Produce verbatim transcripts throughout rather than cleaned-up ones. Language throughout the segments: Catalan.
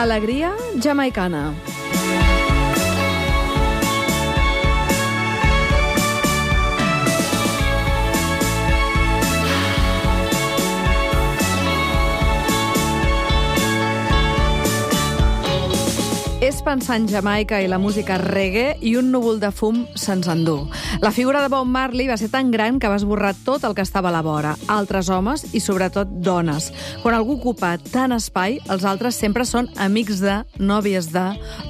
Alegria jamaicana. És pensar en Jamaica i la música reggae i un núvol de fum se'ns endú. La figura de Bob Marley va ser tan gran que va esborrar tot el que estava a la vora, altres homes i sobretot dones. Quan algú ocupa tant espai, els altres sempre són amics de, nòvies de,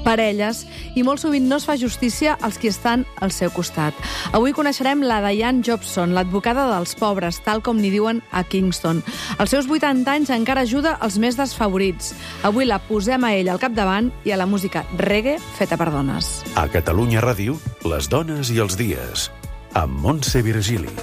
parelles, i molt sovint no es fa justícia als qui estan al seu costat. Avui coneixerem la Diane Jobson, l'advocada dels pobres, tal com n'hi diuen a Kingston. Als seus vuitanta anys encara ajuda els més desfavorits. Avui la posem a ella al capdavant i a la música reggae feta per dones. A Catalunya Ràdio, les dones i els dies, amb Montse Virgili.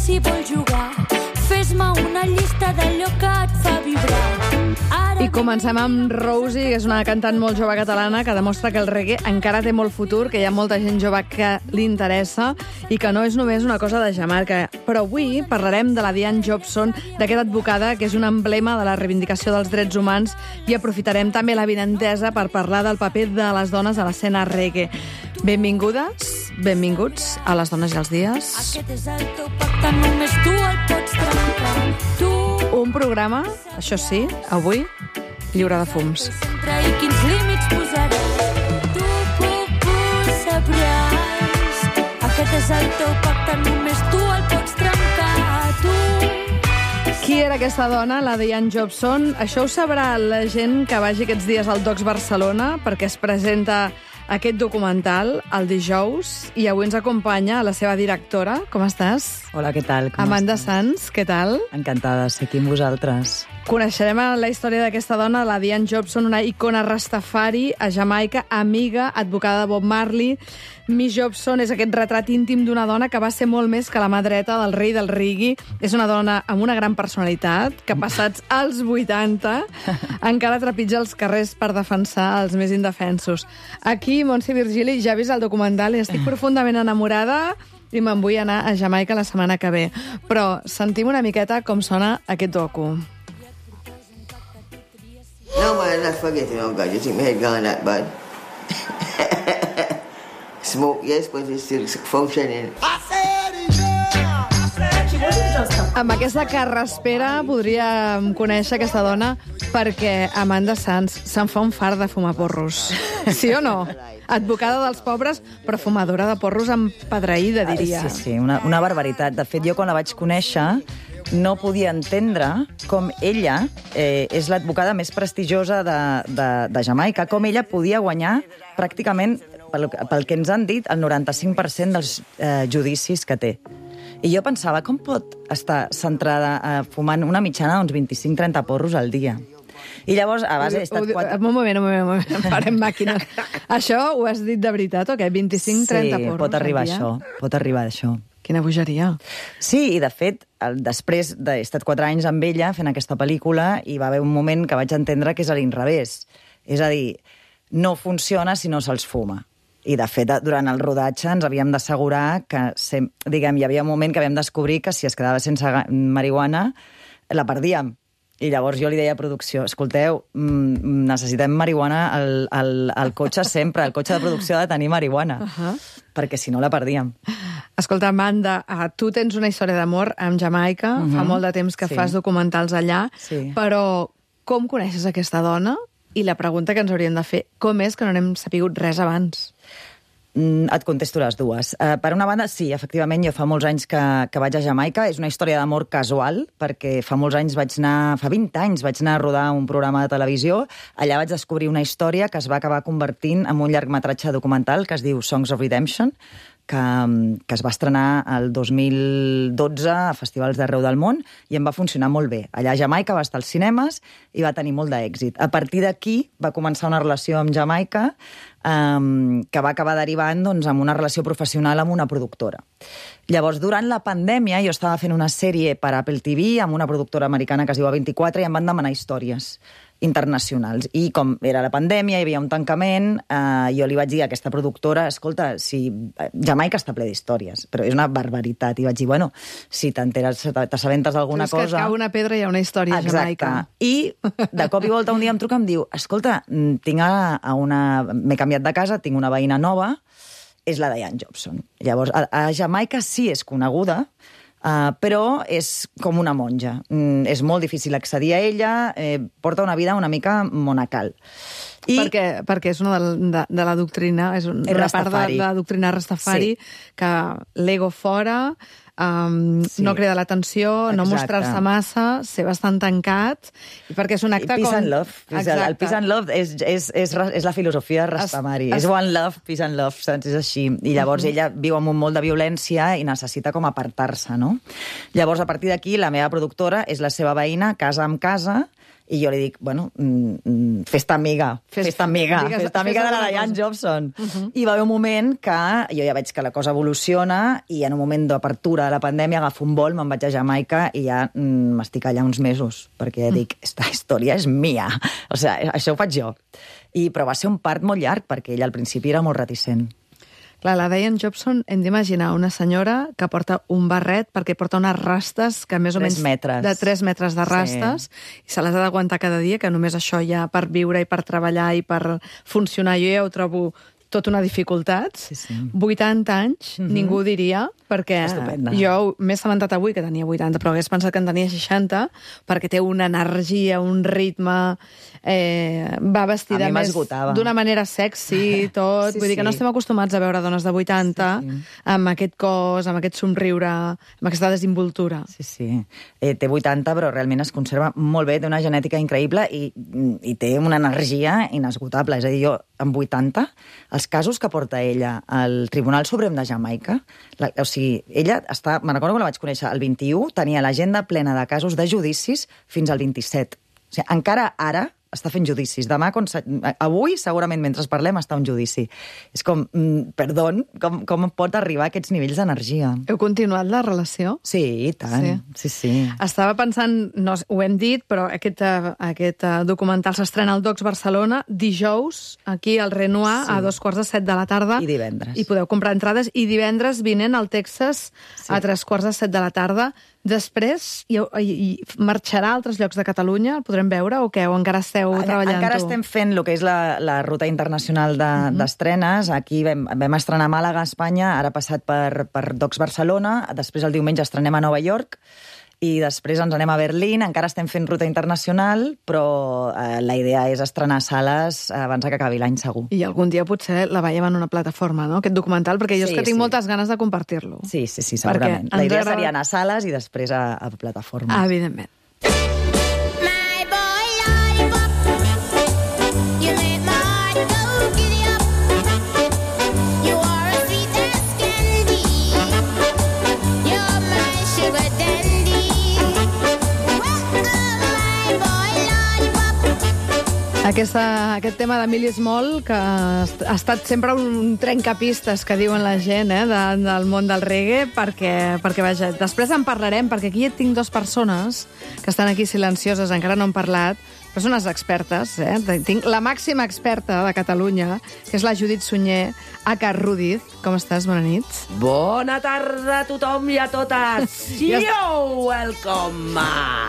Si vols jugar, fes-me una llista d'allò que et fa vibrar. Ara... I comencem amb Rosie, que és una cantant molt jove catalana que demostra que el reggae encara té molt futur, que hi ha molta gent jove que li interessa i que no és només una cosa de Jamaica. Però avui parlarem de la Diane Jobson, d'aquesta advocada que és un emblema de la reivindicació dels drets humans, i aprofitarem també la vinentesa per parlar del paper de les dones a l'escena reggae. Benvingudes, benvinguts a Les dones i els dies. Aquest és el teu pacte, només tu el pots trencar. Tu... Un programa, això sí, avui, lliure de fums. Sempre i quins límits posaràs. Tu puc ho sabràs. Aquest és el teu pacte, només tu el pots trencar. Tu... Qui era aquesta dona, la Diane Jobson? Això ho sabrà la gent que vagi aquests dies al Docs Barcelona, perquè es presenta aquest documental el dijous, i avui ens acompanya la seva directora. Com estàs? Hola, què tal? Com Amanda estàs? Sanz, què tal? Encantada de ser aquí amb vosaltres. Coneixerem la història d'aquesta dona, la Diane Jobson, una icona rastafari a Jamaica, amiga, advocada de Bob Marley. Miss Jobson és aquest retrat íntim d'una dona que va ser molt més que la mà dreta del rei del reggae. És una dona amb una gran personalitat, que passats als vuitanta encara trepitja els carrers per defensar els més indefensos. Aquí, Montse Virgili, ja ha vist el documental i estic profundament enamorada i me'n vull anar a Jamaica la setmana que ve. Però sentim una miqueta com sona aquest docu. No, man, that's forgetting, oh God, you think my head gone that bad? Smoke, yes, but it's still functioning. Amb aquesta carraspera podríem conèixer aquesta dona perquè Amanda Sanz se'n fa un fart de fumar porros. Sí o no? Advocada dels pobres, però fumadora de porros empedreïda, diria. Sí, sí, una, una barbaritat. De fet, jo quan la vaig conèixer no podia entendre com ella eh, és l'advocada més prestigiosa de, de, de Jamaica, com ella podia guanyar pràcticament, pel, pel que ens han dit, el noranta-cinc per cent dels eh, judicis que té. I jo pensava, com pot estar centrada eh, fumant una mitjana d'uns vint-i-cinc trenta porros al dia? I llavors, a base, he estat quatre... Un moment, un moment, un moment, farem màquines. Això ho has dit de veritat o què? vint-i-cinc trenta sí, porros pot arribar al dia? això, pot arribar a això. Quina bogeria. Sí, i de fet, el, després d'he estat quatre anys amb ella fent aquesta pel·lícula, hi va haver un moment que vaig entendre que és a l'inrevés. És a dir, no funciona si no se'ls fuma. I, de fet, durant el rodatge ens havíem d'assegurar que, sem, diguem, hi havia un moment que havíem de descobrir que si es quedava sense marihuana, la perdíem. I llavors jo li deia a producció, escolteu, mmm, necessitem marihuana al, al, al cotxe sempre, el cotxe de producció ha de tenir marihuana, uh -huh. perquè si no la perdíem. Escolta, Amanda, uh, tu tens una història d'amor amb Jamaica, uh -huh. fa molt de temps que sí. fas documentals allà, sí. però com coneixes aquesta dona? I la pregunta que ens hauríem de fer, com és que no n'hem sapigut res abans? Mm, et contesto les dues. Uh, per una banda, sí, efectivament, jo fa molts anys que, que vaig a Jamaica. És una història d'amor casual, perquè fa molts anys vaig anar, fa vint anys, vaig anar a rodar un programa de televisió. Allà vaig descobrir una història que es va acabar convertint en un llargmetratge documental que es diu Songs of Redemption, que, que es va estrenar el dos mil dotze a festivals d'arreu del món i em va funcionar molt bé. Allà a Jamaica va estar als cinemes i va tenir molt d'èxit. A partir d'aquí va començar una relació amb Jamaica um, que va acabar derivant doncs, amb una relació professional amb una productora. Llavors, durant la pandèmia, jo estava fent una sèrie per Apple T V amb una productora americana que es diu A vint-i-quatre i em van demanar històries internacionals. I com era la pandèmia, hi havia un tancament, eh, jo li vaig dir a aquesta productora, escolta, si Jamaica està ple d'històries, però és una barbaritat. I vaig dir, bueno, si t'assabentes d'alguna cosa... És que cau una pedra i hi ha una història a Jamaica. I de cop i volta un dia em truca i em diu, escolta, tinc a, a una... m'he canviat de casa, tinc una veïna nova, és la Diane Jobson. Llavors, a, a Jamaica sí és coneguda, Uh, però és com una monja. Mm, és molt difícil accedir a ella, eh, porta una vida una mica monacal. I... Perquè, perquè és una de, de, de la doctrina, és una part de, de la doctrina Rastafari, sí. Que l'ego fora, um, sí. No cridar l'atenció, no mostrar-se massa, ser bastant tancat, i perquè és un acte peace com... and love. El, el peace and love és, és, és, és la filosofia Rastafari. Es, es... És one love, peace and love, saps? És així. I llavors uh-huh. ella viu amb un molt de violència i necessita com apartar-se, no? Llavors, a partir d'aquí, la meva productora és la seva veïna, casa amb casa, i jo li dic, bueno, mm, fes-te amiga, fes, fes-te amiga, digues, fes-te amiga fes de la Diane Jobson. Uh-huh. I va haver un moment que jo ja veig que la cosa evoluciona i en un moment d'apertura de la pandèmia agafo un vol, me'n vaig a Jamaica i ja mm, m'estic allà uns mesos, perquè ja dic, esta història és mia. O sigui, això ho faig jo. I, però va ser un part molt llarg, perquè ella al principi era molt reticent. Clar, la Diane Jobson, hem d'imaginar una senyora que porta un barret perquè porta unes rastes que més o menys... metres. De tres metres de rastes, sí. I se les ha d'aguantar cada dia, que només això ja per viure i per treballar i per funcionar, jo ja ho trobo tota una dificultat. Sí, sí. vuitanta anys, mm-hmm. Ningú diria, perquè estupenda. Jo m'he assabentat avui que tenia vuitanta, però hagués pensat que en tenia seixanta, perquè té una energia, un ritme... Eh, va vestida més d'una manera sexy, tot. Sí, Vull dir que sí. no estem acostumats a veure dones de vuitanta sí, sí. Amb aquest cos, amb aquest somriure, amb aquesta desinvoltura. Sí, sí. Eh, té vuitanta, però realment es conserva molt bé, té una genètica increïble i, i té una energia inesgotable. És a dir, jo, amb vuitanta, els casos que porta ella al Tribunal Suprem de Jamaica, la, o sigui, ella està... Me'n recordo que la vaig conèixer el vint-i-u, tenia l'agenda plena de casos de judicis fins al vint-i-set. O sigui, encara ara està fent judicis. Demà, quan se... avui, segurament, mentre parlem, està un judici. És com, mm, perdó, com, com pot arribar a aquests nivells d'energia? Heu continuat la relació? Sí, i tant. Sí, sí. sí. Estava pensant, no, ho hem dit, però aquest, aquest documental s'estrena al Docs Barcelona dijous, aquí al Renoir, sí. A dos quarts de set de la tarda. I divendres. I podeu comprar entrades. I divendres vinent al Texas sí. A tres quarts de set de la tarda. Després, i, i marxarà a altres llocs de Catalunya? El podrem veure o què? O encara esteu treballant-ho? Encara estem fent el que és la, la ruta internacional d'estrenes. De, uh-huh. Aquí vam, vam estrenar a Màlaga, a Espanya, ara passat per, per Docs Barcelona, després el diumenge estrenem a Nova York, i després ens anem a Berlín. Encara estem fent ruta internacional, però eh, la idea és estrenar sales abans que acabi l'any segur. I algun dia potser la veiem en una plataforma, no?, aquest documental, perquè jo sí, és que tinc sí. moltes ganes de compartir-lo. Sí, sí, sí, segurament. La idea seria anar a sales i després a, a plataforma. Ah, evidentment. Aquesta, aquest tema d'Emili Small, que ha estat sempre un trencapistes, que diuen la gent, eh, de, del món del reggae, perquè, perquè vaja, després en parlarem, perquè aquí tinc dues persones que estan aquí silencioses, encara no han parlat, però són unes expertes, eh? Tinc la màxima experta de Catalunya, que és la Judit Sunyer, aka Rudiz. Com estàs? Bona nit. Bona tarda a tothom i a totes. Ja Yo, welcome!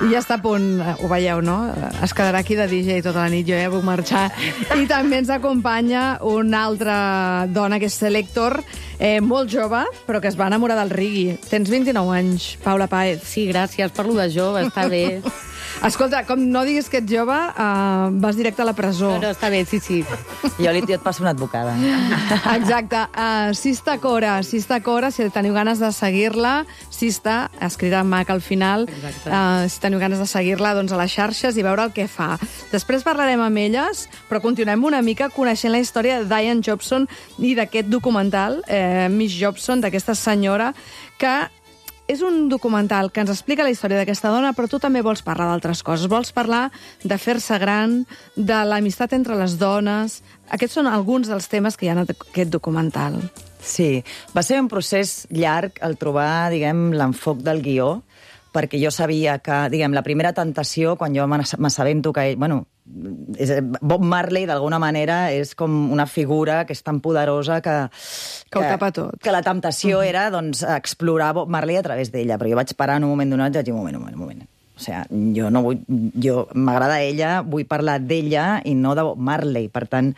Ja està a punt, ho veieu, no? Es quedarà aquí de D J tota la nit, jo ja puc marxar. I també ens acompanya una altra dona, que és Selector, eh, molt jove, però que es va enamorar del reggae. Tens vint-i-nou anys, Paula Páez. Sí, gràcies per lo de jove, està bé. Escolta, com no diguis que ets jove, jove, uh, vas directe a la presó. No, no, està bé, sí, sí. Jo, li, jo et passo una advocada. Exacte. Uh, Sista Cora, Sista Cora, si teniu ganes de seguir-la, Sista, escrita en mac al final, uh, si teniu ganes de seguir-la, doncs a les xarxes i veure el que fa. Després parlarem amb elles, però continuem una mica coneixent la història de Diane Jobson i d'aquest documental, eh, Miss Jobson, d'aquesta senyora, que és un documental que ens explica la història d'aquesta dona, però tu també vols parlar d'altres coses. Vols parlar de fer-se gran, de l'amistat entre les dones. Aquests són alguns dels temes que hi ha en aquest documental. Sí, va ser un procés llarg el trobar, diguem, l'enfoc del guió, perquè jo sabia que, diguem, la primera tentació, quan jo m'assabento que ell, bueno, és, Bob Marley, d'alguna manera, és com una figura que és tan poderosa que... Que ho tapa tot. Que la temptació uh-huh. era, doncs, explorar Bob Marley a través d'ella, però jo vaig parar en un moment donat i vaig dir, un moment, un moment, un moment. O sigui, jo no vull... Jo m'agrada ella, vull parlar d'ella i no de Bob Marley. Per tant,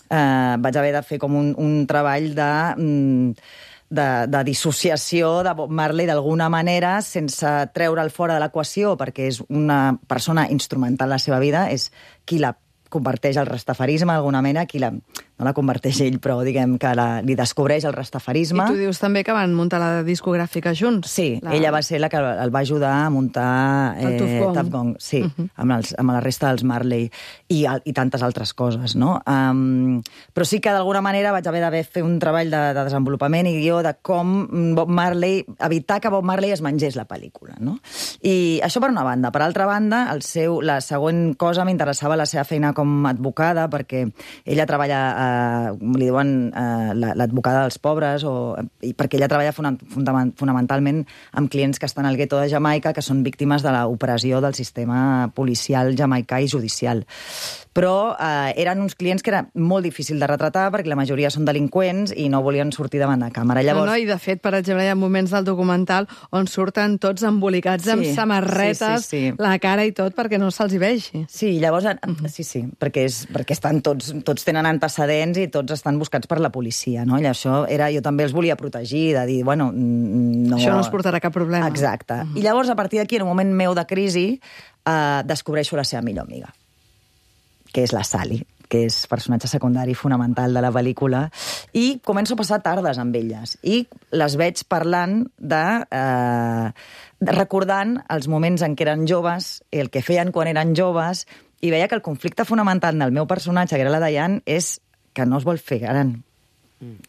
eh, vaig haver de fer com un, un treball de... Mm, De, de dissociació de Bob Marley d'alguna manera, sense treure'l fora de l'equació, perquè és una persona instrumental en la seva vida, és qui la converteix al rastafarisme d'alguna manera, qui la... no la converteix ell, però diguem que la, li descobreix el rastafarisme. I tu dius també que van muntar la discogràfica junts. Sí, la... ella va ser la que el va ajudar a muntar el Tuff Gong. Tuff Gong, sí, uh-huh. amb, els, amb la resta dels Marley i, i tantes altres coses, no? Um, però sí que d'alguna manera vaig haver d'haver fer un treball de, de desenvolupament i guió de com Bob Marley, evitar que Bob Marley es mengés la pel·lícula, no? I això per una banda. Per altra banda, el seu, la següent cosa m'interessava la seva feina com a advocada, perquè ella treballa a li diuen eh, l'advocada dels pobres, o, i perquè ella treballa fonamentalment amb clients que estan al gueto de Jamaica, que són víctimes de l'opressió del sistema policial jamaicà i judicial. Però eh, eren uns clients que era molt difícil de retratar perquè la majoria són delinqüents i no volien sortir davant de càmera. Llavors... No, no, i de fet, per exemple, hi ha moments del documental on surten tots embolicats sí, amb samarretes, sí, sí, sí. la cara i tot, perquè no se'ls hi vegi. Sí, llavors, uh-huh. sí, sí, perquè, és, perquè estan tots, tots tenen antecedents i tots estan buscats per la policia, no? I això era, jo també els volia protegir, de dir, bueno... No... Això no us portarà cap problema. Exacte. Uh-huh. I llavors, a partir d'aquí, en un moment meu de crisi, eh, descobreixo la seva millor amiga, que és la Sally, que és personatge secundari fonamental de la pel·lícula, i començo a passar tardes amb elles. I les veig parlant de... Eh, de recordant els moments en què eren joves, el que feien quan eren joves, i veia que el conflicte fonamental del meu personatge, que era la Diane, és que no es vol fer gran,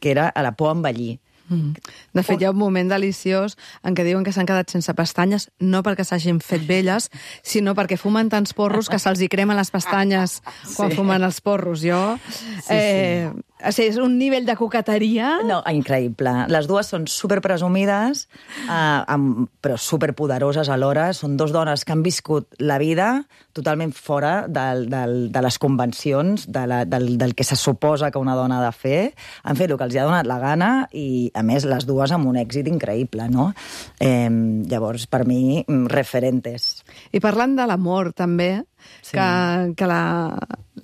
que era a la por a envellir. Mm. De fet, hi ha un moment deliciós en què diuen que s'han quedat sense pestanyes, no perquè s'hagin fet velles, sinó perquè fumen tants porros que se'ls hi cremen les pestanyes quan sí. fumen els porros. Jo... Sí, eh, sí. O sigui, és un nivell de coqueteria... No, increïble. Les dues són superpresumides, eh, amb, però superpoderoses alhora. Són dos dones que han viscut la vida totalment fora del, del, de les convencions, de la, del, del que se suposa que una dona ha de fer. Han fet el que els hi ha donat la gana i, a més, les dues amb un èxit increïble, no? Eh, llavors, per mi, referentes. I parlant de l'amor, també, sí. que, que la,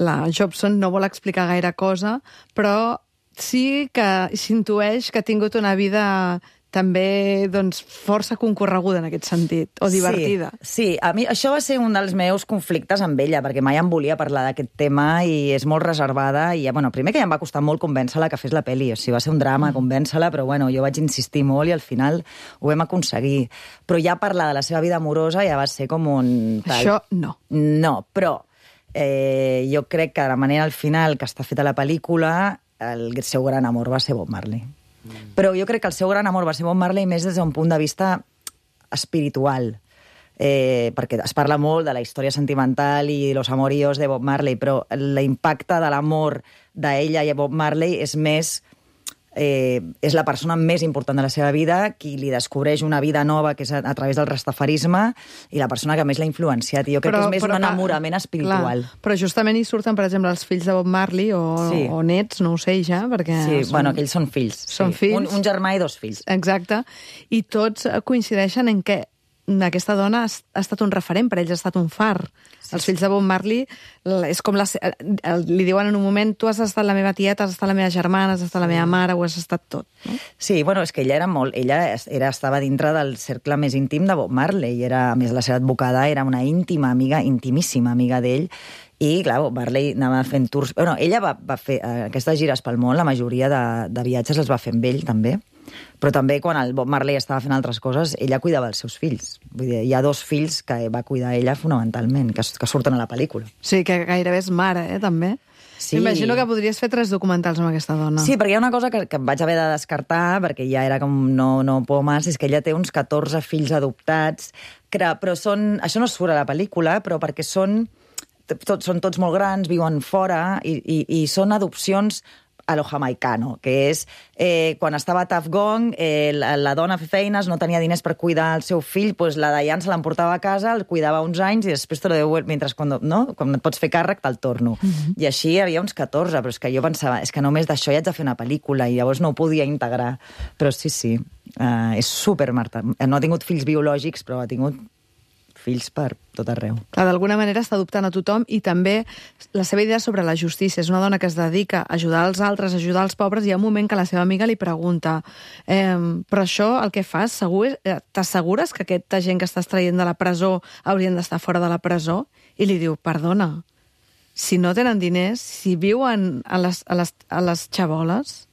la Jobson no vol explicar gaire cosa, però sí que s'intueix que ha tingut una vida també doncs, força concorreguda en aquest sentit, o divertida. Sí, sí, a mi això va ser un dels meus conflictes amb ella, perquè mai em volia parlar d'aquest tema i és molt reservada. I, bueno, primer que ja em va costar molt convèncer-la que fes la pel·li, o sigui, va ser un drama mm. convèncer-la, però bueno, jo vaig insistir molt i al final ho vam aconseguir. Però ja parlar de la seva vida amorosa ja va ser com un... Tal... Això no. No, però eh, jo crec que de la manera al final que està feta la pel·lícula, el seu gran amor va ser Bob Marley. Però jo crec que el seu gran amor va ser Bob Marley més des d'un punt de vista espiritual, eh, perquè es parla molt de la història sentimental i los amoríos de Bob Marley, però l'impacte de l'amor d'ella i Bob Marley és més... Eh, és la persona més important de la seva vida, qui li descobreix una vida nova, que és a, a través del rastafarisme, i la persona que més l'ha influenciat. I jo crec però, que és més però, un enamorament espiritual. Clar, però justament hi surten, per exemple, els fills de Bob Marley, o, sí. o nets, no ho sé ja, perquè... Sí, són... bueno, aquells són fills. Són sí. fills. Un, un germà i dos fills. Exacte. I tots coincideixen en què aquesta dona ha, ha estat un referent, per ells ha estat un far. Sí, els fills de Bob Marley és com la, li diuen en un moment tu has estat la meva tieta, has estat la meva germana, has estat la meva mare, ho has estat tot. No? Sí, bueno, és que ella era molt... Ella era, estava dintre del cercle més íntim de Bob Marley. Era, a més, la seva advocada era una íntima amiga, intimíssima amiga d'ell, i, clar, Bob Marley anava fent tours... Bueno, ella va, va fer eh, aquestes gires pel món, la majoria de, de viatges els va fer amb ell, també. Però també quan el Bob Marley estava fent altres coses, ella cuidava els seus fills. Vull dir, hi ha dos fills que va cuidar ella fonamentalment, que, que surten a la pel·lícula. Sí, que gairebé és mare, eh, també. Sí. Imagino que podries fer tres documentals amb aquesta dona. Sí, perquè hi ha una cosa que, que em vaig haver de descartar, perquè ja era com no, no pomes, és que ella té uns catorze fills adoptats, que, però són... Això no surt a la pel·lícula, però perquè són... Tot, són tots molt grans, viuen fora, i, i, i són adopcions a lo jamaicano, que és eh, quan estava a Tuff Gong, eh, la, la dona feia feines, no tenia diners per cuidar el seu fill, pues la Diane se l'emportava a casa, el cuidava uns anys i després te lo devuelve, mentre quan, no? quan et pots fer càrrec te'l torno. Mm-hmm. I així hi havia uns catorze, però és que jo pensava, és que només d'això ja haig de fer una pel·lícula, i llavors no ho podia integrar. Però sí, sí, uh, és super Marta. No ha tingut fills biològics, però ha tingut fills per tot arreu. Clar, d'alguna manera està adoptant a tothom, i també la seva idea sobre la justícia. És una dona que es dedica a ajudar els altres, a ajudar els pobres, i hi ha un moment que la seva amiga li pregunta eh, però això, el que fas, segur, t'assegures que aquesta gent que estàs traient de la presó haurien d'estar fora de la presó? I li diu, perdona, si no tenen diners, si viuen a les, a les, a les xaboles,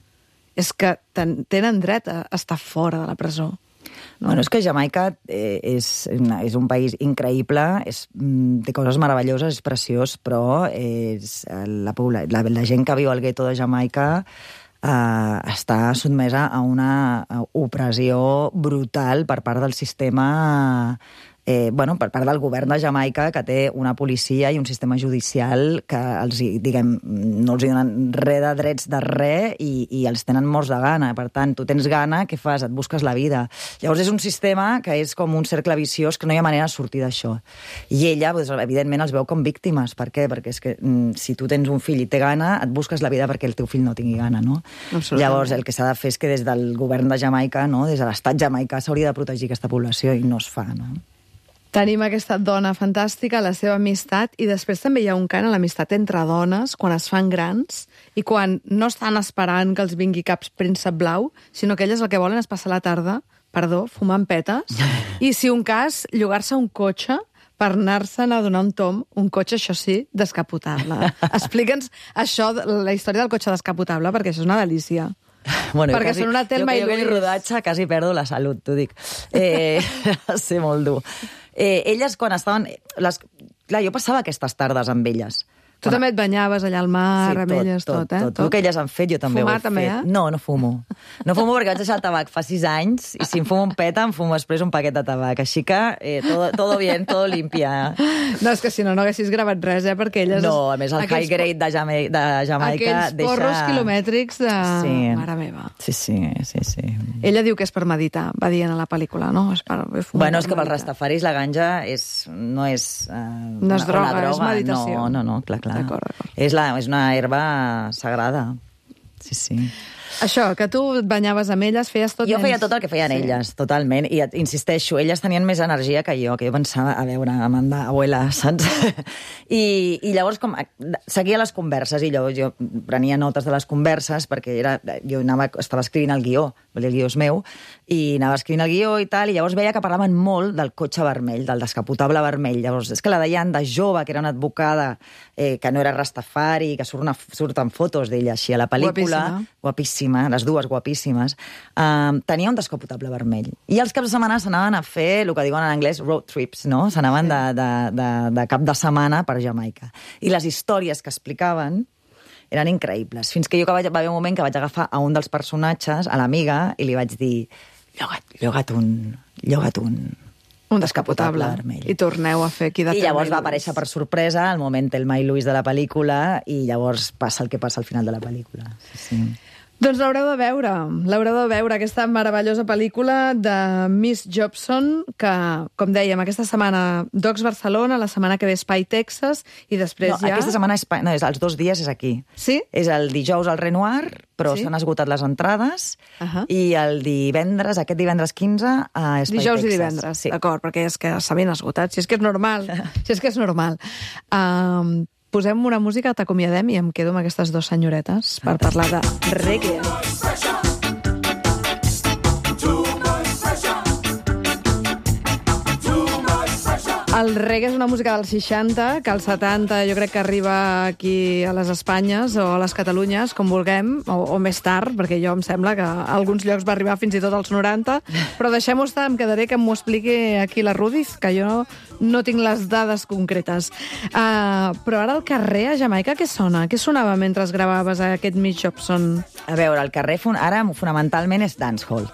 és que ten, tenen dret a estar fora de la presó. No. Bueno, és que Jamaica eh, és, és un país increïble, és, té coses meravelloses, és preciós, però és, la, la, la gent que viu al gueto de Jamaica eh, està sotmesa a una opressió brutal per part del sistema... Eh, bueno, per part del govern de Jamaica, que té una policia i un sistema judicial que els, diguem, no els donen res de drets de res, i, i els tenen morts de gana. Per tant, tu tens gana, què fas? Et busques la vida. Llavors és un sistema que és com un cercle viciós, que no hi ha manera de sortir d'això. I ella, doncs, evidentment, els veu com víctimes. Per què? Perquè és que mm, si tu tens un fill i té gana, et busques la vida perquè el teu fill no tingui gana, no? Llavors, el que s'ha de fer és que des del govern de Jamaica, no? Des de l'estat jamaicà, s'hauria de protegir aquesta població, i no es fa, no? Tenim aquesta dona fantàstica, la seva amistat, i després també hi ha un cant a l'amistat entre dones, quan es fan grans, i quan no estan esperant que els vingui cap príncep blau, sinó que elles el que volen és passar la tarda, perdó, fumant petes, i si un cas, llogar-se un cotxe per anar-se'n a donar un tom, un cotxe, això sí, descapotable. Explica'ns això, la història del cotxe descapotable, perquè això és una delícia. Bueno, perquè quasi, són una Telma i Luis. Jo que jo rodatge quasi perdo la salut, t'ho dic. Eh, va ser molt dur. Eh, elles, quan estaven... Les, clar, jo passava aquestes tardes amb elles. Tu quan... també et banyaves allà al mar, sí, amb tot, elles, tot, tot, eh? Tot, tot. El que elles han fet, jo també Fumar, ho he també, fet. Eh? No, no fumo. No fumo perquè vaig deixar el tabac fa sis anys, i si em fumo un peta, em fumo després un paquet de tabac. Així que, eh, todo, todo bien, todo limpia. No, és que si no, no haguessis gravat res, eh? Perquè elles... No, a més, el aquells... high grade de, Jama... de Jamaica aquells deixa... porros quilomètrics de... Sí. Mare meva. Sí, sí, sí, sí. Ella diu que és per meditar, va dient a la pel·lícula, no? És per... Bueno, és que pels rastafaris la ganja és, no és... Uh, no és droga, droga, és meditació. No, no, no, clar, clar. D'acord, d'acord. És, la, és una herba sagrada. Sí, sí. Això, que tu et banyaves amb elles, feies tot... Jo menys... feia tot el que feien sí. elles, totalment. I insisteixo, elles tenien més energia que jo, que jo pensava, a veure, Amanda, abuela, saps? I, i llavors com, seguia les converses, i llavors jo prenia notes de les converses, perquè era, jo anava, estava escrivint el guió, el guió és meu, i anava escrivint el guió i tal, i llavors veia que parlaven molt del cotxe vermell, del descapotable vermell. Llavors, és que la Diane, de jove, que era una advocada, eh, que no era rastafari, que surt una, surten fotos d'ella així a la pel·lícula, guapíssima, guapíssima, les dues guapíssimes, eh, tenia un descapotable vermell. I els caps de setmana s'anaven a fer, el que diuen en anglès, road trips, no? S'anaven de, de, de, de cap de setmana per Jamaica. I les històries que explicaven eren increïbles. Fins que jo que vaig, va haver un moment que vaig agafar a un dels personatges, a l'amiga, i li vaig dir, lloga't, lloga't un... Lloga't un... Un descapotable. vermell. I torneu a fer aquí de I llavors va aparèixer per sorpresa el moment Telma i Luis de la pel·lícula, i llavors passa el que passa al final de la pel·lícula. Sí, sí. Doncs l'haureu de veure, l'haureu de veure, aquesta meravellosa pel·lícula de Miss Jobson, que, com dèiem, aquesta setmana Docs Barcelona, la setmana que ve Espai Texas, i després no, ja... Aquesta setmana, és, no, és, els dos dies és aquí. Sí? És el dijous al Renoir, però Sí? s'han esgotat les entrades, Ahà. i el divendres, aquest divendres quinze, a Espai Dijous Texas. i divendres, Sí. d'acord, perquè és que s'ha ben esgotat, si és que és normal, si és que és normal. Um, posem una música, t'acomiadem i em quedo amb aquestes dues senyoretes per parlar de reggae. El reggae és una música dels seixanta, que als setanta jo crec que arriba aquí a les Espanyes o a les Catalunyes, com vulguem, o, o més tard, perquè jo em sembla que a alguns llocs va arribar fins i tot als noranta, però deixem-ho estar, em quedaré que m'ho expliqui aquí la Rudiz, que jo no tinc les dades concretes. Uh, però ara al carrer, a Jamaica, què sona? Què sonava mentre gravaves aquest Miss Jobson? A veure, el carrer fon- ara fonamentalment és dancehall.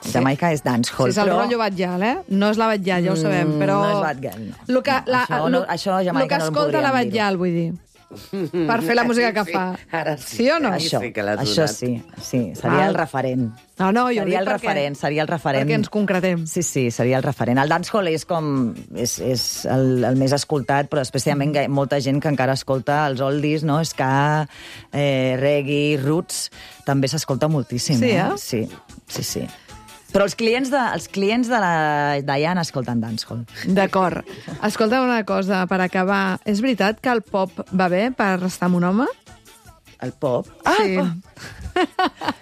Jamaica és dancehall, Sí, és el però... rotllo Batllal, eh? No és la Batllal, ja ho sabem, Mm, però... no és Batllal, no. Lo que, la, Això no- lo, això a Jamaica lo que no en escolta la podríem Batllal, vull dir. Per fer la música que Sí, fa. ara sí. Sí o no? Aquí Això, sí que l'has això donat. sí, sí, seria Ah. el referent. No, no, jo ho seria dic el perquè- referent, seria el referent. Perquè ens concretem. Sí, sí, seria el referent. El dancehall és com... és, és el, el més escoltat, però després també hi ha molta gent que encara escolta els oldies, no? Ska, eh, reggae, roots, també s'escolta moltíssim. Sí, eh? Sí, sí, sí. Però els clients de, els clients de la Diana escolten dancehall. D'acord. Escolta una cosa, per acabar. És veritat que el pop va bé per estar amb un home? El pop? Sí.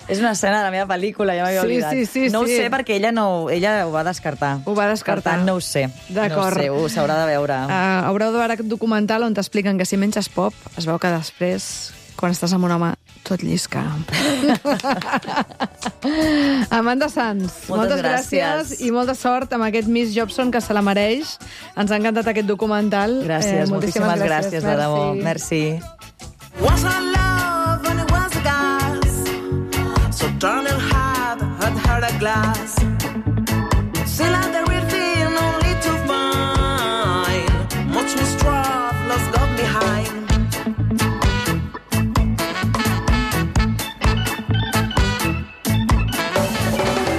És una escena de la meva pel·lícula, ja m'havia Sí, oblidat. sí, sí, no ho sí. sé perquè ella, no, ella ho va descartar. Ho va descartar. Per tant, no ho sé. D'acord. No ho sé, ho s'haurà de veure. Uh, haureu de veure aquest documental on t'expliquen que si menges pop, es veu que després, quan estàs amb un home, tot llisca. Amanda Sanz, Moltes moltes gràcies. gràcies. i molta sort amb aquest Miss Jobson, que se la mereix. Ens ha encantat aquest documental. Gràcies, Eh, moltíssimes gràcies, de debò. Merci. Was her love when it was a gas? So turning hard had her a glass. Still had the real thing only to find much mistrust lost got behind.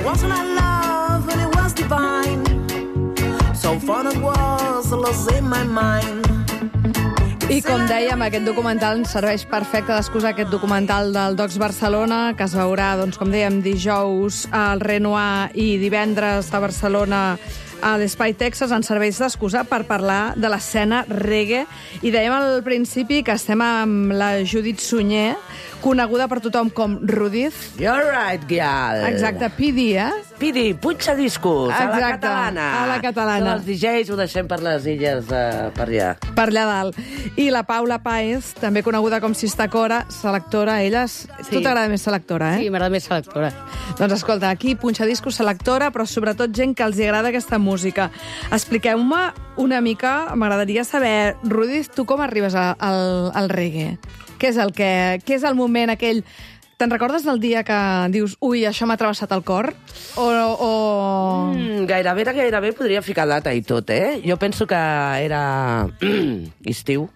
Wasn't her love when it was divine? So fun it was, lost in my mind. I com dèiem, aquest documental ens serveix perfecte d'excusa, aquest documental del Docs Barcelona, que es veurà, doncs, com dèiem, dijous al Renoir i divendres a Barcelona a l'Espai Texas, ens serveix d'excusa per parlar de l'escena reggae. I dèiem al principi que estem amb la Judit Sunyer, coneguda per tothom com Rudiz. You're right, girl. Exacte, P D, eh? Pidi, punxa discos, a la Exacte, catalana. a la catalana. Els D Js ho deixem per les illes de, per allà. Per allà dalt. I la Paula Páez, també coneguda com Sista Cora, selectora. Ella és... Sí. Tu t'agrada més selectora, eh? Sí, m'agrada més selectora. Doncs escolta, aquí punxa discos, selectora, però sobretot gent que els agrada aquesta música. Expliqueu-me una mica, m'agradaria saber, Rudiz, tu com arribes a, al, al reggae? Què és el que... Què és el moment aquell... Te'n recordes del dia que dius, ui, això m'ha travessat el cor? O... o... Mm, gairebé, gairebé podria ficar data i tot, eh? Jo penso que era estiu.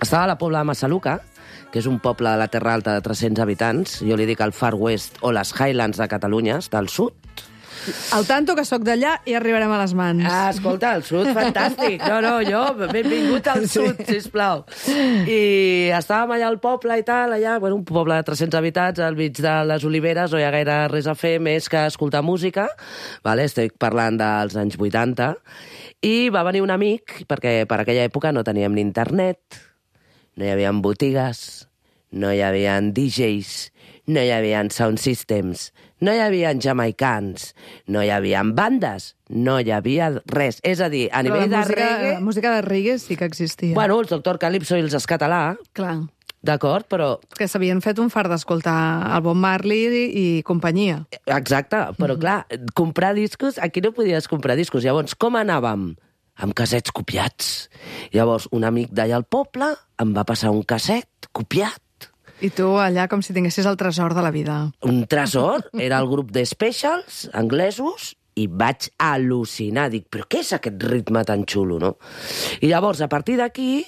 Estava a la Pobla de Massaluca, que és un poble de la Terra Alta de tres-cents habitants. Jo li dic el Far West o les Highlands de Catalunya, està al sud. Al tanto que sóc d'allà i arribarem a les mans. Ah, escolta, el sud, fantàstic. No, no, jo, benvingut al sud, sisplau. I estàvem allà al poble i tal, allà, bueno, un poble de tres-cents habitants, al mig de les oliveres, no hi ha gaire res a fer més que escoltar música, vale? Estic parlant dels anys vuitanta, i va venir un amic, perquè per aquella època no teníem ni internet, no hi havia botigues, no hi havia D Js, no hi havia sound systems, no hi havia jamaicans, no hi havia bandes, no hi havia res. És a dir, a Però nivell la de música, reggae... la música de reggae sí que existia. Bueno, els Doctor Calypso i els Escatalà, Clar, d'acord, però... que s'havien fet un fart d'escoltar el Bob Marley i, i companyia. Exacte, però clar, comprar discos, aquí no podies comprar discos. Llavors, com anàvem? Amb cassets copiats. Llavors, un amic d'allà al poble em va passar un casset copiat. I tu allà com si tinguessis el tresor de la vida. Un tresor, era el grup de Specials, anglesos, i vaig al·lucinar. Dic, però què és aquest ritme tan xulo, no? I llavors, a partir d'aquí,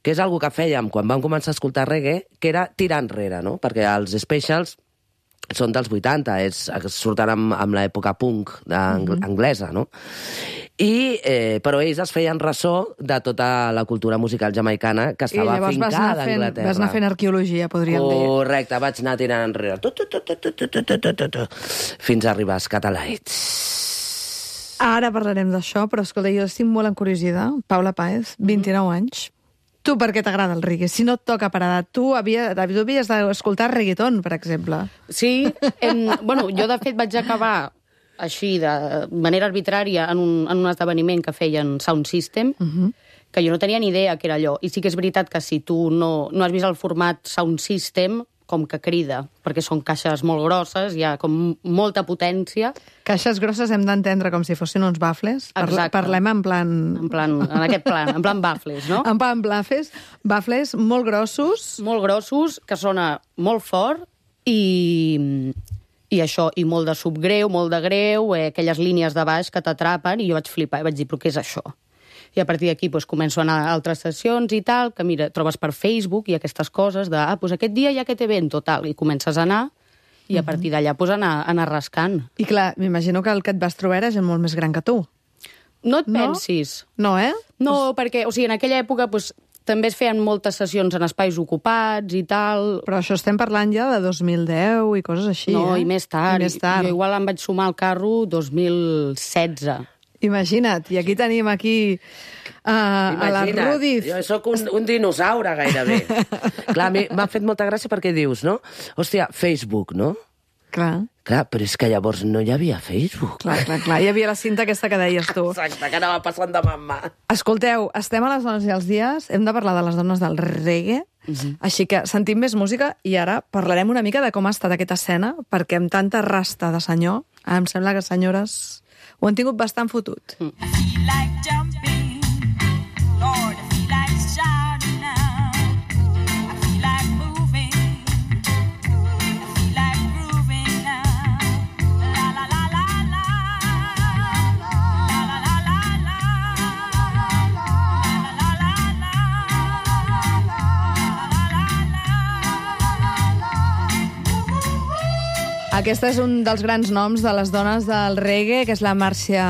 que és algo que fèiem quan vam començar a escoltar reggae, que era tirar enrere, no? Perquè els Specials són dels vuitanta, és, surten amb, amb l'època punk anglesa, no? I, eh, però ells es feien ressò de tota la cultura musical jamaicana que estava afincada a Anglaterra. Vas anar fent arqueologia, podríem dir. Correcte, vaig anar tirant enrere. Tu, tu, tu, tu, tu, tu, tu, tu, tu, tu, fins a arribar als Catalites. Ara parlarem d'això, però escolta, jo estic molt encuriosida. Paula Páez, vint-i-nou anys. Tu per què t'agrada el reggae? Si no et toca per edat, tu, havia, tu havies d'escoltar reggaeton, per exemple. Sí, em, bueno, jo de fet vaig acabar així, de manera arbitrària, en un, en un esdeveniment que feien Sound System, uh-huh. que jo no tenia ni idea que era allò. I sí que és veritat que si tu no, no has vist el format Sound System, com que crida, perquè són caixes molt grosses, hi ha com molta potència. Caixes grosses hem d'entendre com si fossin uns bafles. Exacte. Parlem en plan... En plan, en aquest plan, en plan bafles, no? En plan bafles, bafles molt grossos. Molt grossos, que sona molt fort i, i això, i molt de subgreu, molt de greu, eh, aquelles línies de baix que t'atrapen, i jo vaig flipar, i vaig dir, però què és això? I a partir d'aquí doncs, començo a anar a altres sessions i tal, que mira, trobes per Facebook i aquestes coses de, ah, doncs aquest dia hi ha aquest event, tal, i comences a anar, i a partir d'allà pues, anar, anar rascant. I clar, m'imagino que el que et vas trobar era gent molt més gran que tu. No et No? pensis. No, eh? No, perquè, o sigui, en aquella època pues, també es feien moltes sessions en espais ocupats i tal. Però això estem parlant ja de dos mil deu i coses així, No, eh? i més tard. I més tard. Jo igual em vaig sumar al carro dos mil setze. Imagina't, i aquí tenim aquí uh, a la Rudiz. Jo sóc un, un dinosaure, gairebé. Clar, m'ha fet molta gràcia perquè dius, no? Hòstia, Facebook, no? Clar. Clar, però és que llavors no hi havia Facebook. Clar, clar, clar. Hi havia la cinta aquesta que deies tu. Exacte, que anava passant de mà en mà. Escolteu, estem a les dones i els dies, hem de parlar de les dones del reggae, uh-huh. Així que sentim més música i ara parlarem una mica de com ha estat aquesta escena, perquè amb tanta rasta de senyor, em sembla que senyores ho han tingut bastant fotut. Mm. I feel like jumping, Lord, I feel like shouting now. I feel like moving, I feel like grooving now. La la la la la, la la la la la, la la la la la. Aquesta és un dels grans noms de les dones del reggae, que és la Marcia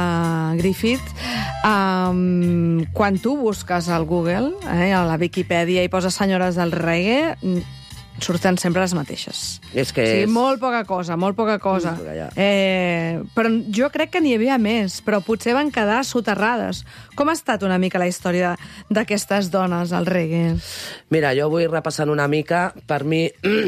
Griffith. Um, quan tu busques al Google, eh, a la Viquipèdia, i poses senyores del reggae, surten sempre les mateixes. És que o sigui, és... molt poca cosa, molt poca cosa. Mm, eh, però jo crec que n'hi havia més, però potser van quedar soterrades. Com ha estat una mica la història d'aquestes dones al reggae? Mira, jo vull repassant una mica. Per mi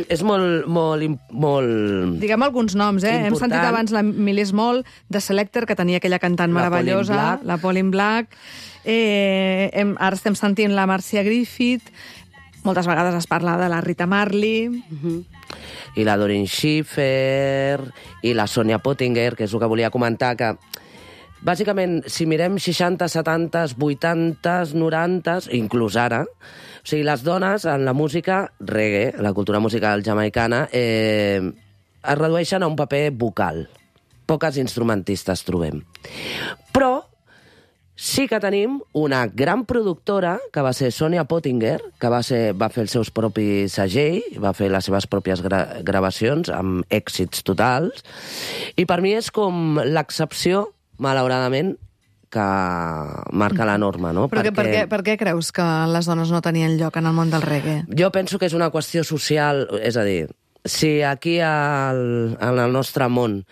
és molt... molt, molt... Diguem alguns noms, eh? Important. Hem sentit abans la Millie Small, de Selector, que tenia aquella cantant La meravellosa, Pauline Black. la Pauline Black. Eh, hem, ara estem sentint la Marcia Griffith. Moltes vegades es parla de la Rita Marley. Uh-huh. I la Doreen Schiffer, i la Sonia Pottinger, que és el que volia comentar, que bàsicament, si mirem seixanta, setanta, vuitanta, noranta, inclús ara, o sigui, les dones en la música reggae, la cultura musical jamaicana, eh, es redueixen a un paper vocal. Poques instrumentistes trobem. Però sí que tenim una gran productora, que va ser Sonia Pottinger, que va, ser, va fer els seus propis segell, va fer les seves pròpies gra gravacions amb èxits totals, i per mi és com l'excepció, malauradament, que marca la norma, no? Però Perquè... per, què, per què creus que les dones no tenien lloc en el món del reggae? Jo penso que és una qüestió social, és a dir, si aquí al, en el nostre món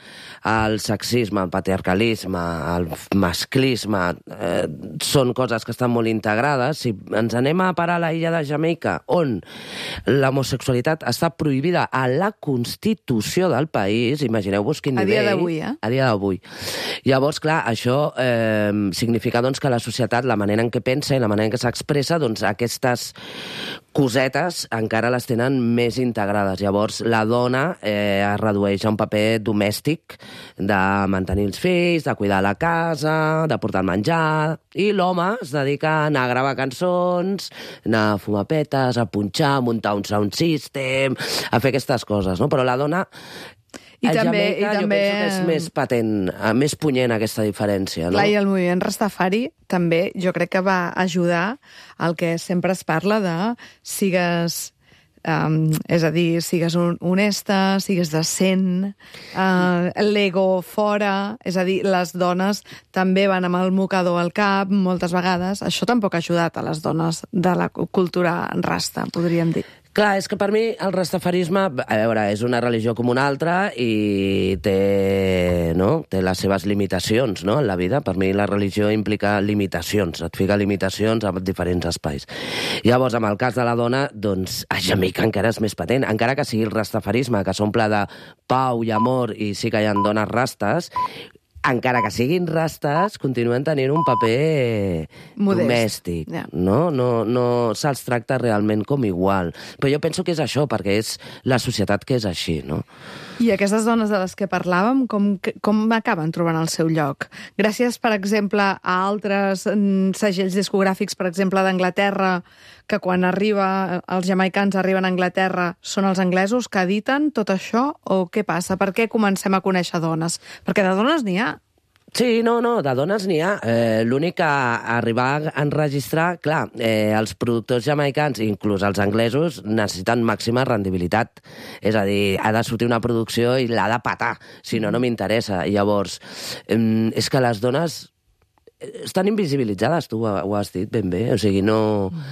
el sexisme, el patriarcalisme, el masclisme eh, són coses que estan molt integrades, si ens anem a parar a la illa de Jamaica, on l'homosexualitat està prohibida a la Constitució del país, imagineu-vos quin A nivell... dia d'avui, eh? A dia d'avui. Llavors, clar, això eh, significa doncs, que la societat, la manera en què pensa i la manera en què s'expressa, doncs aquestes cosetes encara les tenen més integrades. Llavors, la dona eh, es redueix a un paper domèstic de mantenir els fills, de cuidar la casa, de portar el menjar, i l'home es dedica a anar a gravar cançons, anar a fumar petes, a punxar, a muntar un sound system, a fer aquestes coses, no? Però la dona... I a també, Jamaica, i jo també... penso que és més patent, més punyent aquesta diferència, no? Clar, i el moviment Rastafari també jo crec que va ajudar al que sempre es parla de sigues um, és a dir, sigues un, honesta, sigues decent, uh, l'ego fora, és a dir, les dones també van amb el mocador al cap moltes vegades. Això tampoc ha ajudat a les dones de la cultura rasta, podríem dir. Clar, és que per mi el rastafarisme, a veure, és una religió com una altra i té, no? té les seves limitacions, no?, en la vida. Per mi la religió implica limitacions, et fica limitacions a diferents espais. Llavors, amb el cas de la dona, doncs, a Jamaica encara és més patent. Encara que sigui el rastafarisme, que s'omple de pau i amor, i sí que hi ha dones rastes, encara que siguin rastes, continuen tenint un paper modest, domèstic. Ja. No, no, no se'ls tracta realment com igual. Però jo penso que és això, perquè és la societat que és així, no? I aquestes dones de les que parlàvem, com, com acaben trobant el seu lloc? Gràcies, per exemple, a altres mm, segells discogràfics, per exemple, d'Anglaterra, que quan arriba, els jamaicans arriben a Anglaterra, són els anglesos que editen tot això? O què passa? Per què comencem a conèixer dones? Perquè de dones n'hi ha. Sí, no, no, de dones n'hi ha. Eh, L'únic que arribar a enregistrar, clar, eh, els productors jamaicans, inclús els anglesos, necessiten màxima rendibilitat. És a dir, ha de sortir una producció i l'ha de patar, si no, no m'interessa. Llavors, eh, és que les dones estan invisibilitzades, tu ho, ho has dit ben bé, o sigui, no...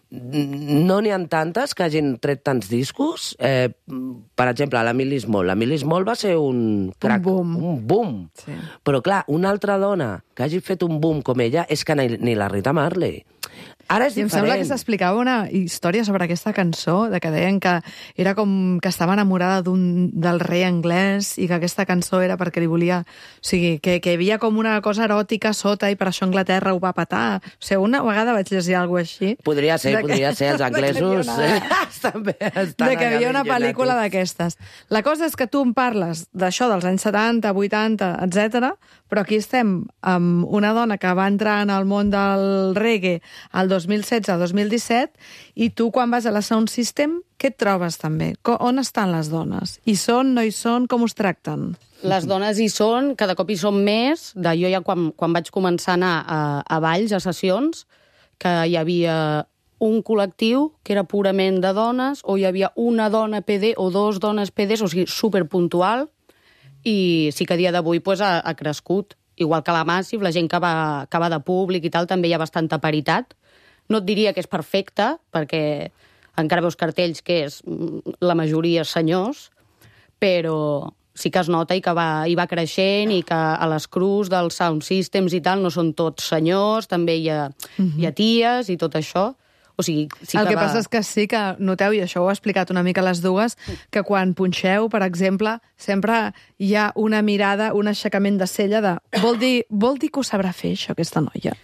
No n'hi ha tantes que hagin tret tants discos. Eh, per exemple, la Millie Small. La Millie Small va ser un crack, Un boom. Un boom. Sí. Però, clar, una altra dona que hagi fet un boom com ella és que ni, ni la Rita Marley. Ara és I em diferent. sembla que s'explicava una història sobre aquesta cançó, de que deien que era com que estava enamorada d'un del rei anglès i que aquesta cançó era perquè li volia... O sigui, que, que hi havia com una cosa eròtica sota i per això Anglaterra ho va patar. O sigui, una vegada vaig llegir alguna cosa així. Podria ser, de que- podria ser. Els anglesos de que hi havia una- estan bé. Estan de que hi havia una allà pel·lícula tots. d'aquestes. La cosa és que tu em parles d'això dels anys setanta, vuitanta, etcètera, però aquí estem amb una dona que va entrar en el món del reggae el dos mil setze dos mil disset, i tu quan vas a la Sound System, què et trobes també? Co- On estan les dones? Hi són, no hi són, com us tracten? Les dones hi són, cada cop hi són més. De jo ja quan, quan vaig començar a anar a, a balls, a sessions, que hi havia un col·lectiu que era purament de dones, o hi havia una dona P D o dos dones P Ds, o sigui, superpuntual, i sí que a dia d'avui pues, ha, ha crescut. Igual que la Massive, la gent que va, que va de públic i tal, també hi ha bastanta paritat. No et diria que és perfecta, perquè encara veus cartells que és la majoria senyors, però sí que es nota i que va, i va creixent i que a les crus dels sound systems i tal no són tots senyors, també hi ha, uh-huh. hi ha ties i tot això. O sigui, sí el que, que va... passa és que sí que noteu, i això ho ha explicat una mica les dues, que quan punxeu, per exemple, sempre hi ha una mirada, un aixecament de cella de vol dir, vol dir que ho sabrà fer, això, aquesta noia.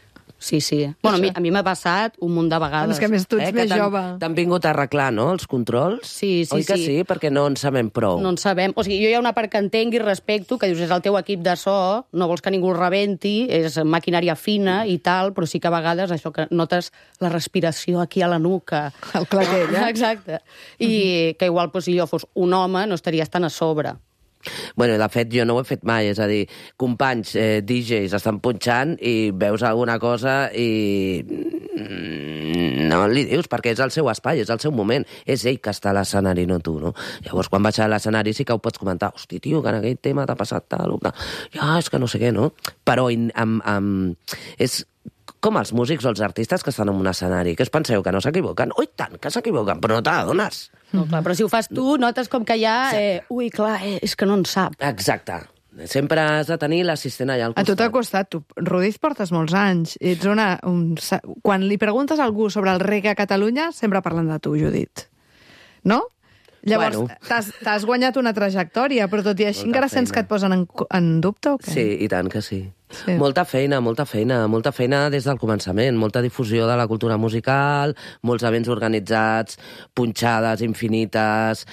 Sí, sí. Bueno, a mi, a mi m'ha passat un munt de vegades. És que a més tu ets Eh, que més t'han- jove. T'han vingut a arreglar, no?, els controls? Sí, sí, Oi que sí. sí? Perquè no en sabem prou. No en sabem. O sigui, jo hi ha una part que entenc i respecto, que dius, és el teu equip de so, no vols que ningú el rebenti, és maquinària fina i tal, però sí que a vegades això que notes la respiració aquí a la nuca. El claquell, eh? Exacte. I uh-huh. que igual, doncs, si jo fos un home, no estaries tan a sobre. Bueno, de fet, jo no ho he fet mai, és a dir, companys eh, D Js estan punxant i veus alguna cosa i no li dius, perquè és el seu espai, és el seu moment, és ell que està a l'escenari, no tu, no? Llavors, quan baixes a l'escenari sí que ho pots comentar, hosti, tio, que en aquell tema t'ha passat tal, o tal. Ja, és que no sé què, no? Però amb, amb... és com els músics o els artistes que estan en un escenari, que us penseu que no s'equivoquen? Ui, tant que s'equivoquen, però no te n'adones. No, clar, però si ho fas tu, notes com que hi ha... Eh, ui, clar, eh, és que no en sap. Exacte. Sempre has de tenir l'assistent allà al A costat. tu t'ha costat. Tu, Rudiz, portes molts anys. Ets una, un, quan li preguntes a algú sobre el reggae a Catalunya, sempre parlen de tu, Judit. No? Llavors, Bueno. t'has t'has guanyat una trajectòria, però tot i així Molta encara sents feina. que et posen en, en dubte o què? Sí, i tant que sí. Sí. Molta feina, molta feina, molta feina des del començament, molta difusió de la cultura musical, molts events organitzats, punxades infinites,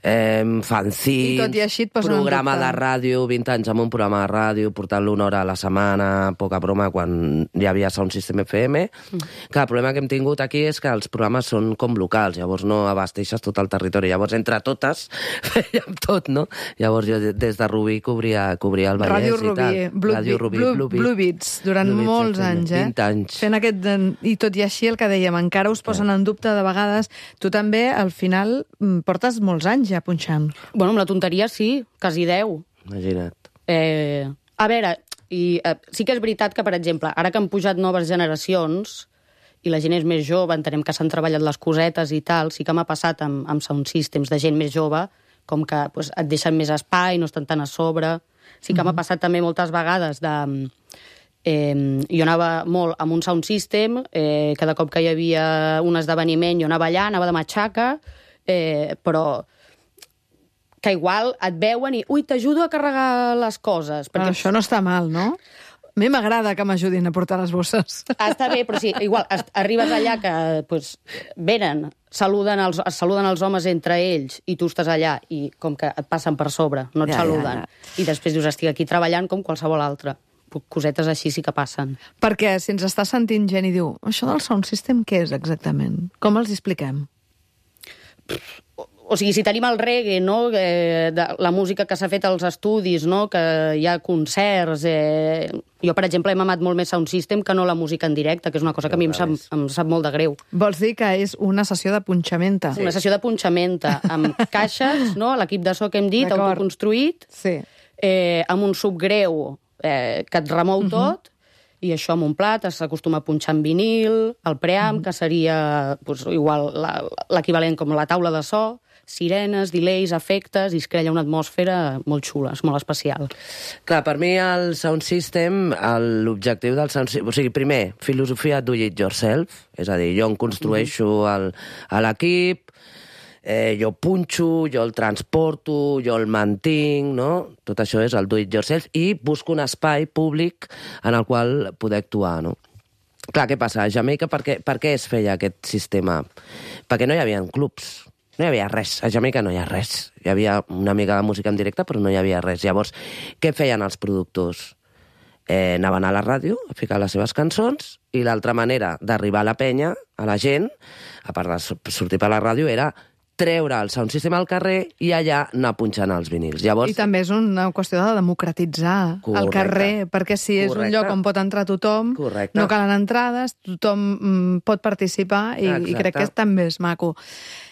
eh, fanzins, I tot i així et posen en programa dubte. de ràdio, vint anys amb un programa de ràdio, portant-lo una hora a la setmana, poca broma, quan hi havia Sound System F M. Mm. Que el problema que hem tingut aquí és que els programes són com locals, llavors no abasteixes tot el territori, llavors entre totes fèiem tot, no? Llavors jo des de Rubí cobria, cobria el Vallès Ràdio i Rubí, tal. Blood, Ràdio Rubí. Blue, Blue Beat. Blue Beats, durant Blue Beats, molts exacte, anys, eh? vint anys. Fent aquest... I tot i així, el que dèiem, encara us posen en dubte de vegades. Tu també, al final, mm, portes molts anys ja punxant. Bueno, amb la tonteria sí, quasi deu. Imagina't. Eh, a veure, i, eh, sí que és veritat que, per exemple, ara que han pujat noves generacions i la gent és més jove, entenem que s'han treballat les cosetes i tal, sí que m'ha passat amb, amb sound systems de gent més jove, com que pues, et deixen més espai, no estan tan a sobre. Sí que mm-hmm. m'ha passat també moltes vegades de... Eh, jo anava molt amb un sound system, eh, cada cop que hi havia un esdeveniment jo anava allà, anava de matxaca, eh, però que igual et veuen i ui, t'ajudo a carregar les coses. Perquè... Però això no està mal, no? A mi m'agrada que m'ajudin a portar les bosses. Està bé, però sí, igual, arribes allà que pues, venen, saluden els, es saluden els homes entre ells i tu estàs allà i com que et passen per sobre, no et Ja, saluden. ja, ja. I després dius, estic aquí treballant com qualsevol altre. Cosetes així sí que passen. Perquè si ens està sentint gent i diu això del sound system què és exactament? Com els expliquem? O, o sigui, si tenim el reggae, no? Eh, de, la música que s'ha fet als estudis, no? Que hi ha concerts... Eh... Jo, per exemple, he mamat molt més sound system que no la música en directe, que és una cosa que a mi em sap, em sap molt de greu. Vols dir que és una sessió de punxamenta? Sí. Una sessió de punxamenta, amb caixes, no? L'equip de so que hem dit, D'acord. autoconstruït, Sí. eh, amb un subgreu eh, que et remou tot, i això amb un plat, s'acostuma a punxar en vinil, el preamp, que seria pues, igual la- l'equivalent com la taula de so, sirenes, delays, efectes, i es crea una atmosfera molt xula, és molt especial. Clar, per mi el sound system, el- l'objectiu del sound system... O sigui, primer, filosofia do it yourself, és a dir, jo em construeixo el, a l'equip, eh, jo punxo, jo el transporto, jo el mantinc, no? Tot això és el do it yourself, i busco un espai públic en el qual poder actuar, no? Clar, què passa? A Jamaica, per què, per què es feia aquest sistema? Perquè no hi havia clubs. No hi havia res. A Jamaica no hi ha res. Hi havia una mica de música en directe, però no hi havia res. Llavors, què feien els productors? Eh, anaven a la ràdio a ficar les seves cançons i l'altra manera d'arribar a la penya, a la gent, a part de sortir per la ràdio, era treure el sound system al carrer i allà anar punxant els vinils. Llavors, I també és una qüestió de democratitzar Correcte. el carrer, perquè si és Correcte. un lloc on pot entrar tothom, Correcte. no calen entrades, tothom mm, pot participar i, i Exacte. crec que també és maco.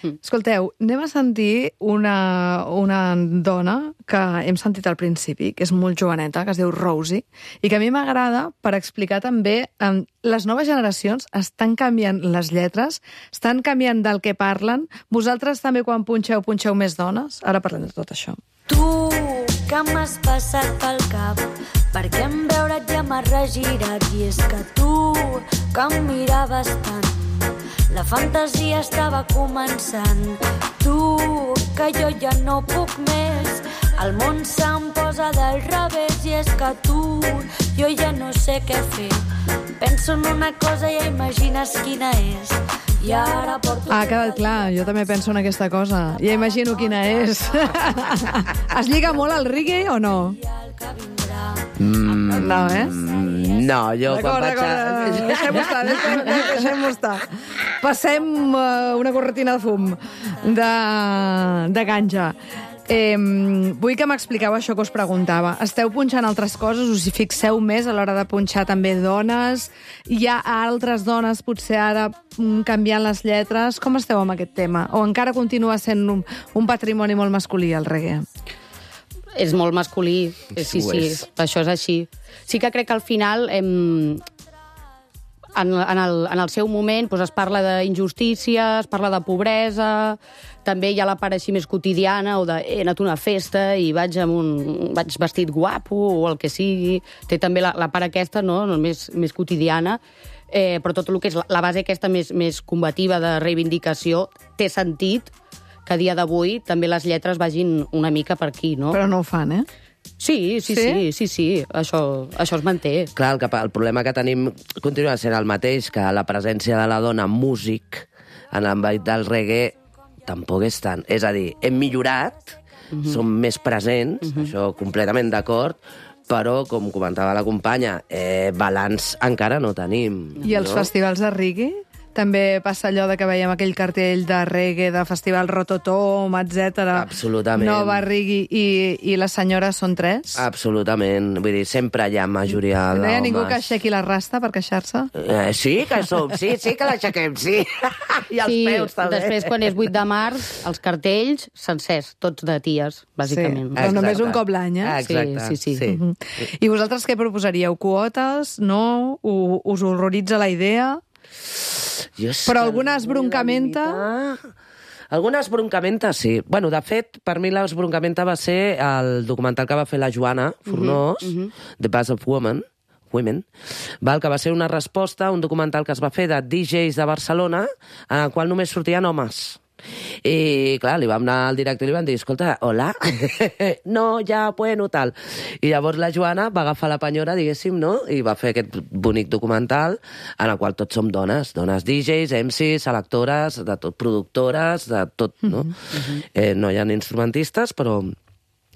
Mm. Escolteu, anem a sentir una, una dona que hem sentit al principi, que és molt joveneta, que es diu Rosie, i que a mi m'agrada per explicar també eh, les noves generacions estan canviant les lletres, estan canviant del que parlen. Vosaltres també quan punxeu, punxeu més dones? Ara parlem de tot això. Tu, que m'has passat pel cap, perquè en veure't ja m'has regirat. I és que tu, que em miraves tant, la fantasia estava començant. Tu, que jo ja no puc més, el món se'm posa del revés. I és que tu, jo ja no sé què fer, penso en una cosa i ja imagines quina és. I ara porto... Ah, ha quedat clar, jo també penso en aquesta cosa. Ja imagino quina és. Es lliga molt al reggae o no? Mm, No, eh? no, jo quan D'acord, vaig a... d'acord, deixem-ho estar, deixem- deixem-ho estar. Passem uh, una corretina de fum de, de ganja. Eh, vull que m'expliqueu això que us preguntava. Esteu punxant altres coses? Us hi fixeu més a l'hora de punxar també dones? Hi ha altres dones potser ara mm, canviant les lletres? Com esteu amb aquest tema? O encara continua sent un, un patrimoni molt masculí el reggae? És molt masculí, eh, sí, Ho sí, és. això és així. Sí que crec que al final, em, en, en, el, en el seu moment, doncs es parla d'injustícia, es parla de pobresa, també hi ha la part així més quotidiana, o de he anat a una festa i vaig amb un vaig vestit guapo, o el que sigui. Té també la, la part aquesta, no?, no més, més quotidiana, eh, però tot el que és la, la base aquesta més, més combativa de reivindicació té sentit que a dia d'avui també les lletres vagin una mica per aquí, no? Però no ho fan, eh? Sí, sí, Sí? sí, sí, sí, això, això es manté. Clar, el, que, el problema que tenim continua sent el mateix, que la presència de la dona músic en l'àmbit del reggae tampoc és tant. És a dir, hem millorat, mm -hmm. som més presents, mm -hmm. això completament d'acord, però, com comentava la companya, eh, balanç encara no tenim. I els no? festivals de reggae també passa allò de que veiem aquell cartell de reggae, de festival Rototom, etcètera. Absolutament. Nova Reggae, i, i les senyores són tres. Absolutament. Vull dir, sempre hi ha majoria d'homes. No hi ha ningú que aixequi la rasta per queixar-se? Eh, sí, que som, sí, sí que l'aixequem, sí. I els sí, peus, també. Després, quan és vuit de març, els cartells sencers, tots de ties, bàsicament. Sí, però només un cop l'any, eh? Exacte, sí, sí. sí. Uh -huh. I vosaltres què proposaríeu? Quotes? No? U us horroritza la idea? Però alguna esbroncamenta? Alguna esbroncamenta, sí. Bueno, de fet, per mi l'esbroncamenta va ser el documental que va fer la Joana Fornós, uh -huh, uh -huh. The Buzz of Women, Women, val, que va ser una resposta a un documental que es va fer de D Js de Barcelona, en el qual només sortien homes. I, clar, li vam anar al director i li van dir, escolta, hola? No, ja, bueno, tal. I llavors la Joana va agafar la penyora, diguéssim, no?, i va fer aquest bonic documental en el qual tots som dones, dones D Js, M Cs, selectores, de tot, productores, de tot, no? Uh-huh. eh, no hi ha instrumentistes, però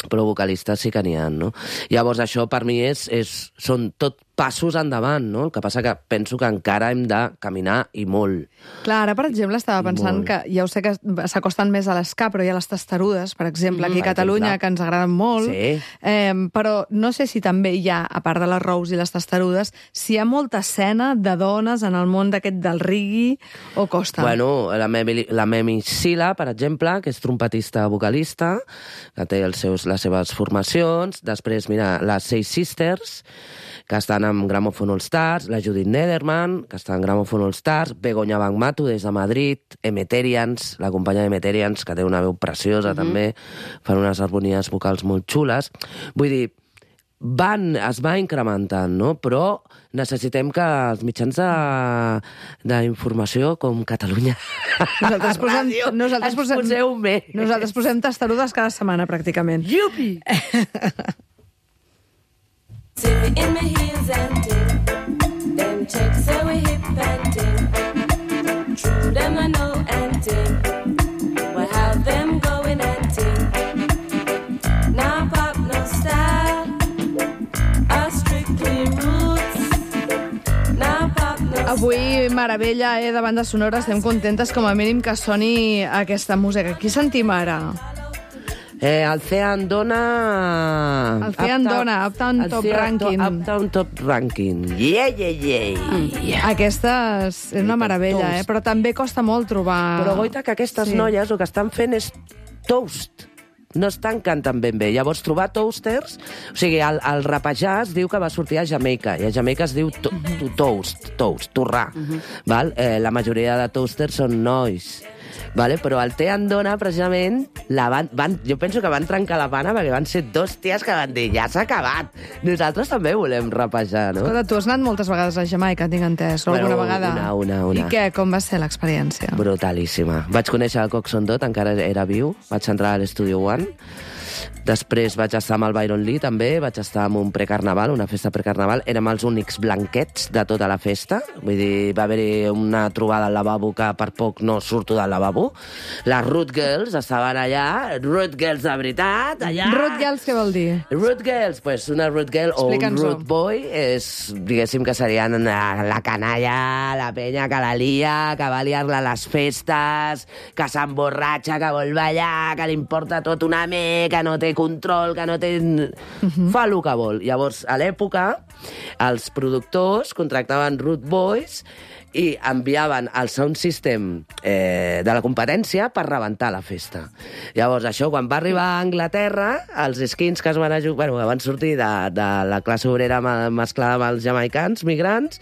però vocalistes sí que n'hi ha, no? Llavors això per mi és, és, són tot passos endavant, no? El que passa que penso que encara hem de caminar i molt. Clar, ara, per exemple, estava pensant Molt. que ja ho sé que s'acosten més a l'esca, però hi ha les testarudes, per exemple, aquí a per Catalunya, exemple. que ens agraden molt. Sí. Eh, però no sé si també hi ha, a part de les Rous i les testarudes, si hi ha molta escena de dones en el món d'aquest del reggae o costa. Bueno, la Memi, la Memi Sila, per exemple, que és trompetista vocalista, que té els seus, les seves formacions. Després, mira, les Seis Sisters, que estan amb Gramophone All Stars, la Judith Nederman, que està en Gramophone All Stars, Begoña Bangmatu, des de Madrid, Emeterians, la companya d'Emeterians, que té una veu preciosa, mm-hmm, també, fan unes harmonies vocals molt xules. Vull dir, van, es va incrementant, no? Però necessitem que els mitjans d'informació, com Catalunya, Nosaltres posem, Ràdio, nosaltres ens posem, poseu més. nosaltres posem testarudes cada setmana, pràcticament. Yupi! Tippy in my heels and ting. Them checks say we hip and ting. True them I know and ting. We have them going and ting. Now pop no style. A strictly roots. Now pop no Avui, meravella, eh, de bandes sonores, estem contentes com a mínim que soni aquesta música. Qui sentim ara? Eh, el Cean dona... El Cean dona, Uptown el Top Cean Ranking. To, Uptown Top Ranking. Yeah, yeah, yeah. yeah. Aquesta és una meravella, eh? Però també costa molt trobar... Però goita que aquestes Sí. noies el que estan fent és toast. No estan cantant ben bé. Llavors, trobar toasters... O sigui, el, el rapejar es diu que va sortir a Jamaica, i a Jamaica es diu to, to, toast, toast, torrar. Val? Eh, la majoria de toasters són nois. Vale? Però el Té Andona, precisament, la van, van, jo penso que van trencar la pana perquè van ser dos ties que van dir ja s'ha acabat. Nosaltres també volem rapejar, no? Escolta, tu has anat moltes vegades a Jamaica, tinc entès, o Bueno, alguna vegada? una, una, una. I què, com va ser l'experiència? Brutalíssima. Vaig conèixer el Coxon Dot, encara era viu. Vaig entrar a l'Estudio One. Després vaig estar amb el Byron Lee, també. Vaig estar amb un precarnaval, una festa precarnaval. Érem els únics blanquets de tota la festa. Vull dir, va haver-hi una trobada al lavabo que per poc no surto del lavabo. Les Root Girls estaven allà. Root Girls de veritat, allà. Root Girls, què vol dir? Root Girls, pues una Root Girl o un Explica'ns-ho. Root Boy és, diguéssim, que serien la, la canalla, la penya que la lia, que va liar-la a les festes, que s'emborratxa, que vol ballar, que li importa tot una me, que no té control, que no té... Uh-huh. Fa el que vol. Llavors, a l'època, els productors contractaven Root Boys i enviaven el sound system eh, de la competència per rebentar la festa. Llavors, això, quan va arribar a Anglaterra, els skins que es van, ajug... bueno, que van sortir de, de la classe obrera mesclada amb els jamaicans, migrants,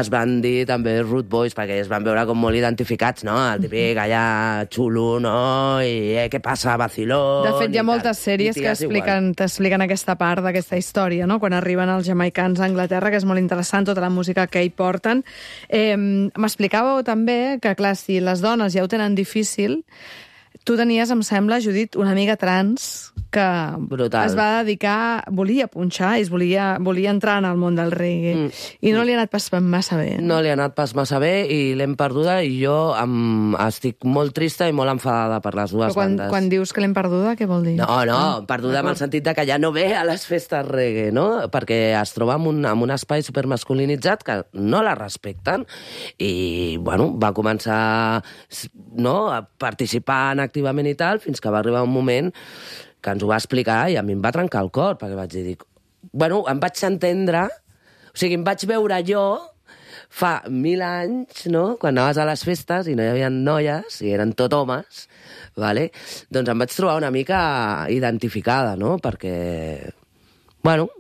es van dir també Root Boys, perquè es van veure com molt identificats, no? El típic allà xulo, no? I eh, què passa, vacilón... De fet, hi ha moltes sèries que expliquen, t'expliquen aquesta part d'aquesta història, no? Quan arriben els jamaicans a Anglaterra, que és molt interessant, tota la música que hi porten. Eh, M'explicàveu també que, clar, si les dones ja ho tenen difícil, tu tenies, em sembla, Judit, una amiga trans que Brutal. es va dedicar, volia punxar i es volia, volia entrar en el món del reggae. Mm. I no li ha anat pas massa bé. No li ha anat pas massa bé i l'hem perduda i jo em, estic molt trista i molt enfadada per les dues Però quan, bandes. quan dius que l'hem perduda, què vol dir? No, no, Ah, perduda en el sentit de que ja no ve a les festes reggae, no? Perquè es troba en un, en un espai supermasculinitzat que no la respecten i, bueno, va començar no, a participar activament i tal fins que va arribar un moment que ens ho va explicar i a mi em va trencar el cor, perquè vaig dir, dic, bueno, em vaig entendre, o sigui, em vaig veure jo fa mil anys, no?, quan anaves a les festes i no hi havia noies, i eren tot homes, vale? Doncs em vaig trobar una mica identificada, no?, perquè, bueno,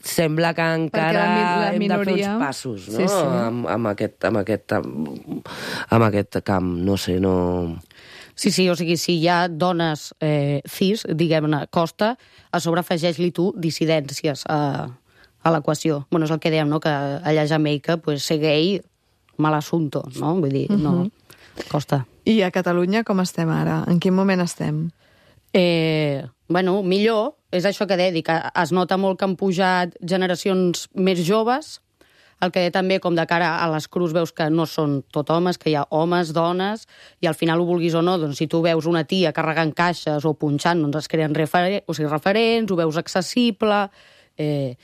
sembla que encara la mi- la hem de fer minoria- uns passos, no?, Sí, sí. Amb, amb, aquest, amb, aquest, amb, amb aquest camp, no sé, no... Sí, sí, o sigui, si hi ha dones eh, cis, diguem-ne, costa, a sobre afegeix-li tu dissidències a, a l'equació. Bueno, és el que dèiem, no?, que allà a Jamaica, pues, ser gay, mal assunto, no? Vull dir, no, costa. I a Catalunya com estem ara? En quin moment estem? Eh, bueno, millor, és això que deia, que es nota molt que han pujat generacions més joves, el que també, com de cara a les crus, veus que no són tot homes, que hi ha homes, dones, i al final ho vulguis o no, doncs si tu veus una tia carregant caixes o punxant, doncs es creen referen o sigui, referents, ho veus accessible... Eh,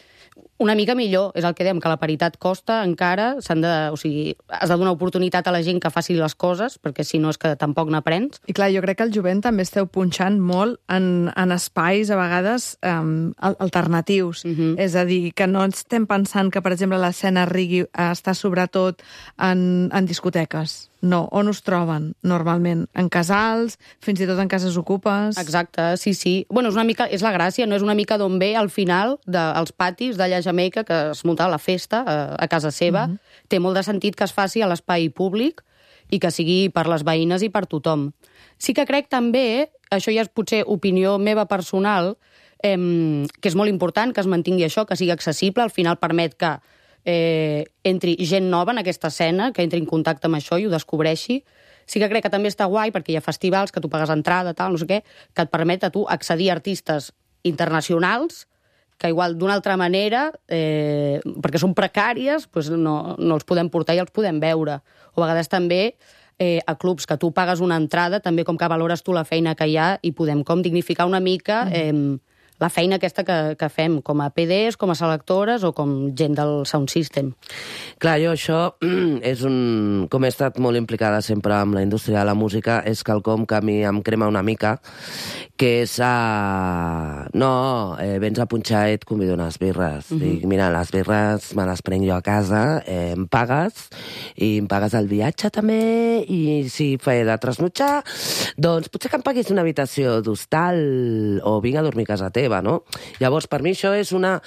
una mica millor, és el que dèiem, que la paritat costa encara, s'han de, o sigui, has de donar oportunitat a la gent que faci les coses, perquè si no és que tampoc n'aprens. I clar, jo crec que el jovent també esteu punxant molt en, en espais, a vegades, um, alternatius. Mhm. És a dir, que no estem pensant que, per exemple, l'escena reggae eh, està sobretot en, en discoteques. No, on us troben, normalment? En casals, fins i tot en cases ocupes? Exacte, sí, sí. Bueno, és una mica, és la gràcia, no és una mica d'on ve al final dels patis d'allà a Jamaica que es munta la festa a, a casa seva. Mm -hmm. Té molt de sentit que es faci a l'espai públic i que sigui per les veïnes i per tothom. Sí que crec també, això ja és potser opinió meva personal, eh, que és molt important que es mantingui això, que sigui accessible, al final permet que eh, entri gent nova en aquesta escena, que entri en contacte amb això i ho descobreixi. Sí que crec que també està guai, perquè hi ha festivals que tu pagues entrada, tal, no sé què, que et permet a tu accedir a artistes internacionals que igual d'una altra manera, eh, perquè són precàries, pues no, no els podem portar i els podem veure. O a vegades també eh, a clubs que tu pagues una entrada, també com que valores tu la feina que hi ha i podem com dignificar una mica eh, la feina aquesta que, que fem com a P Ds, com a selectores o com gent del sound system. Clar, jo això és un... Com he estat molt implicada sempre amb la indústria de la música, és quelcom que a mi em crema una mica, que és a... No, eh, vens a punxar i et convido unes birres. Uh -huh. Dic, mira, les birres me les prenc jo a casa, eh, em pagues, i em pagues el viatge també, i si he de trasnotxar, doncs potser que em paguis una habitació d'hostal o vinc a dormir a casa teva, no? Llavors, per mi això és una,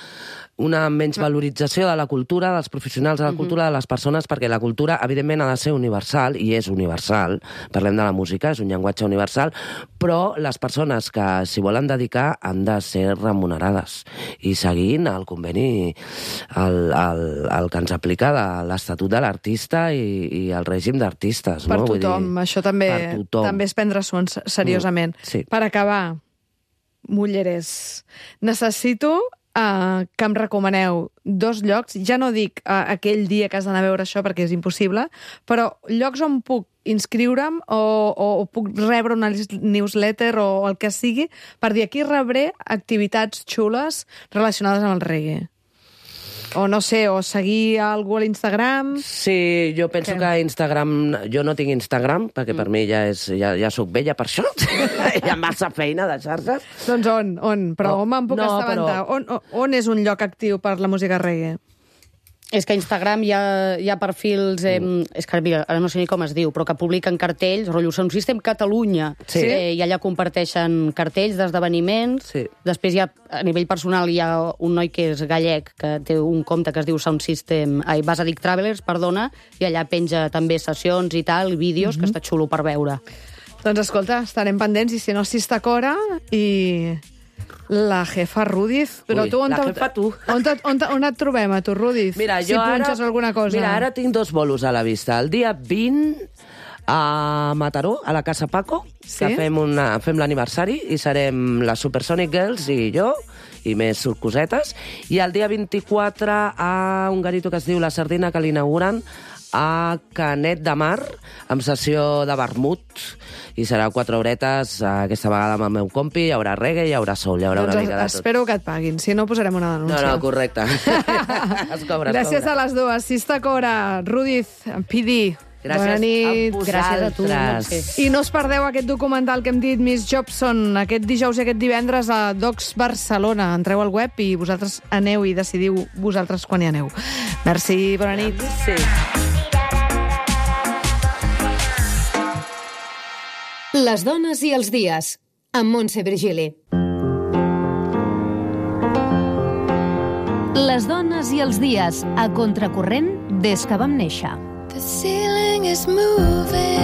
una menysvalorització de la cultura, dels professionals de la cultura, de les persones, perquè la cultura, evidentment, ha de ser universal, i és universal. Parlem de la música, és un llenguatge universal, però les persones que s'hi volen dedicar han de ser remunerades i seguint el conveni el, el, el que ens aplica de l'Estatut de l'Artista i, i el règim d'artistes. Per no? tothom, Vull dir, això també, per tothom. també és prendre-s'ho en- seriosament. Mm, sí. Per acabar, Mulleres, necessito uh, que em recomaneu dos llocs, ja no dic uh, aquell dia que has d'anar a veure això perquè és impossible, però llocs on puc inscriure'm o, o, o puc rebre una newsletter o el que sigui per dir aquí rebré activitats xules relacionades amb el reggae. O no sé, o seguir algú a l'Instagram. Sí, jo penso Què? que Instagram... Jo no tinc Instagram, perquè per mi ja, és, ja, ja sóc vella per això. Hi ha massa feina de xarxes. Doncs on? on? Però No, on me'n puc no, assabentar? però- On, on, on és un lloc actiu per la música reggae? És que a Instagram hi ha, hi ha perfils, eh, Mm. és que mira, ara no sé ni com es diu, però que publiquen cartells, rotllo Sound System Catalunya, Sí. eh, i allà comparteixen cartells d'esdeveniments. Sí. Després hi ha, a nivell personal, hi ha un noi que és gallec, que té un compte que es diu Sound System, ai, Basadic Travelers, perdona, i allà penja també sessions i tal, vídeos, que està xulo per veure. Doncs escolta, estarem pendents, i si no, Sistacora i la jefa Rudiz. Però Ui, tu on la te- jefa tu. On, te, on, te, on et trobem, a tu, Rudiz? Mira, si jo ara... punxes alguna cosa. Mira, ara tinc dos bolos a la vista. El dia vint a Mataró, a la Casa Paco, Sí? que fem, una, fem l'aniversari i serem les Supersonic Girls i jo, i més cosetes. I el dia vint-i-quatre a un garito que es diu La Sardina, que l'inauguren a Canet de Mar, amb sessió de vermut, i serà quatre horetes, aquesta vegada amb el meu compi, hi haurà reggae, hi haurà soul, hi haurà Doncs una mica de tot. espero que et paguin, si no posarem una No, denúncia. no, correcte. es cobra, es Gràcies cobra. a les dues. Sista Cora, Rudiz, P D. Gràcies Bona nit. a Gràcies a tu, vosaltres. Montse. I no us perdeu aquest documental que hem dit Miss Jobson aquest dijous i aquest divendres a Docs Barcelona. Entreu al web i vosaltres aneu i decidiu vosaltres quan hi aneu. Merci, bona nit. Sí. Les dones i els dies, amb Montse Virgili. Les dones i els dies, a contracorrent des que vam néixer. The ceiling is moving.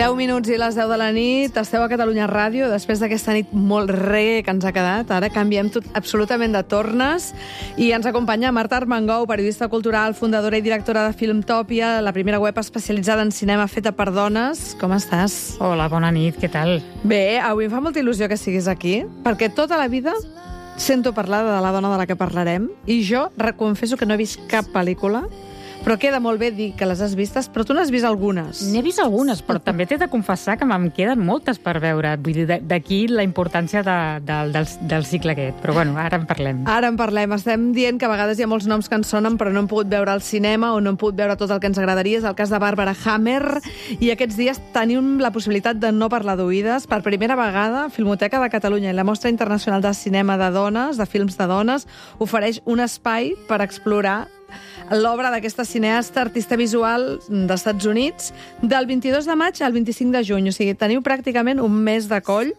deu minuts i les deu de la nit. Esteu a Catalunya Ràdio. Després d'aquesta nit molt reggae que ens ha quedat, ara canviem tot absolutament de tornes. I ens acompanya Marta Armengou, periodista cultural, fundadora i directora de Filmtòpia, la primera web especialitzada en cinema feta per dones. Com estàs? Hola, bona nit, què tal? Bé, avui em fa molta il·lusió que siguis aquí, perquè tota la vida sento parlar de la dona de la que parlarem, i jo reconfesso que no he vist cap pel·lícula, però queda molt bé dir que les has vistes, però tu n'has vist algunes. N'he vist algunes, però també t'he de confessar que me'n queden moltes per veure. Vull dir, d'aquí la importància de, de, del, del cicle aquest. Però bueno, ara en parlem. Ara en parlem. Estem dient que a vegades hi ha molts noms que ens sonen, però no hem pogut veure al cinema o no hem pogut veure tot el que ens agradaria. És el cas de Bàrbara Hammer. I aquests dies tenim la possibilitat de no parlar d'oïdes. Per primera vegada, Filmoteca de Catalunya i la Mostra Internacional de Cinema de Dones, de Films de Dones, ofereix un espai per explorar l'obra d'aquesta cineasta, artista visual d'Estats Units, del vint-i-dos de maig al vint-i-cinc de juny. O sigui, teniu pràcticament un mes de coll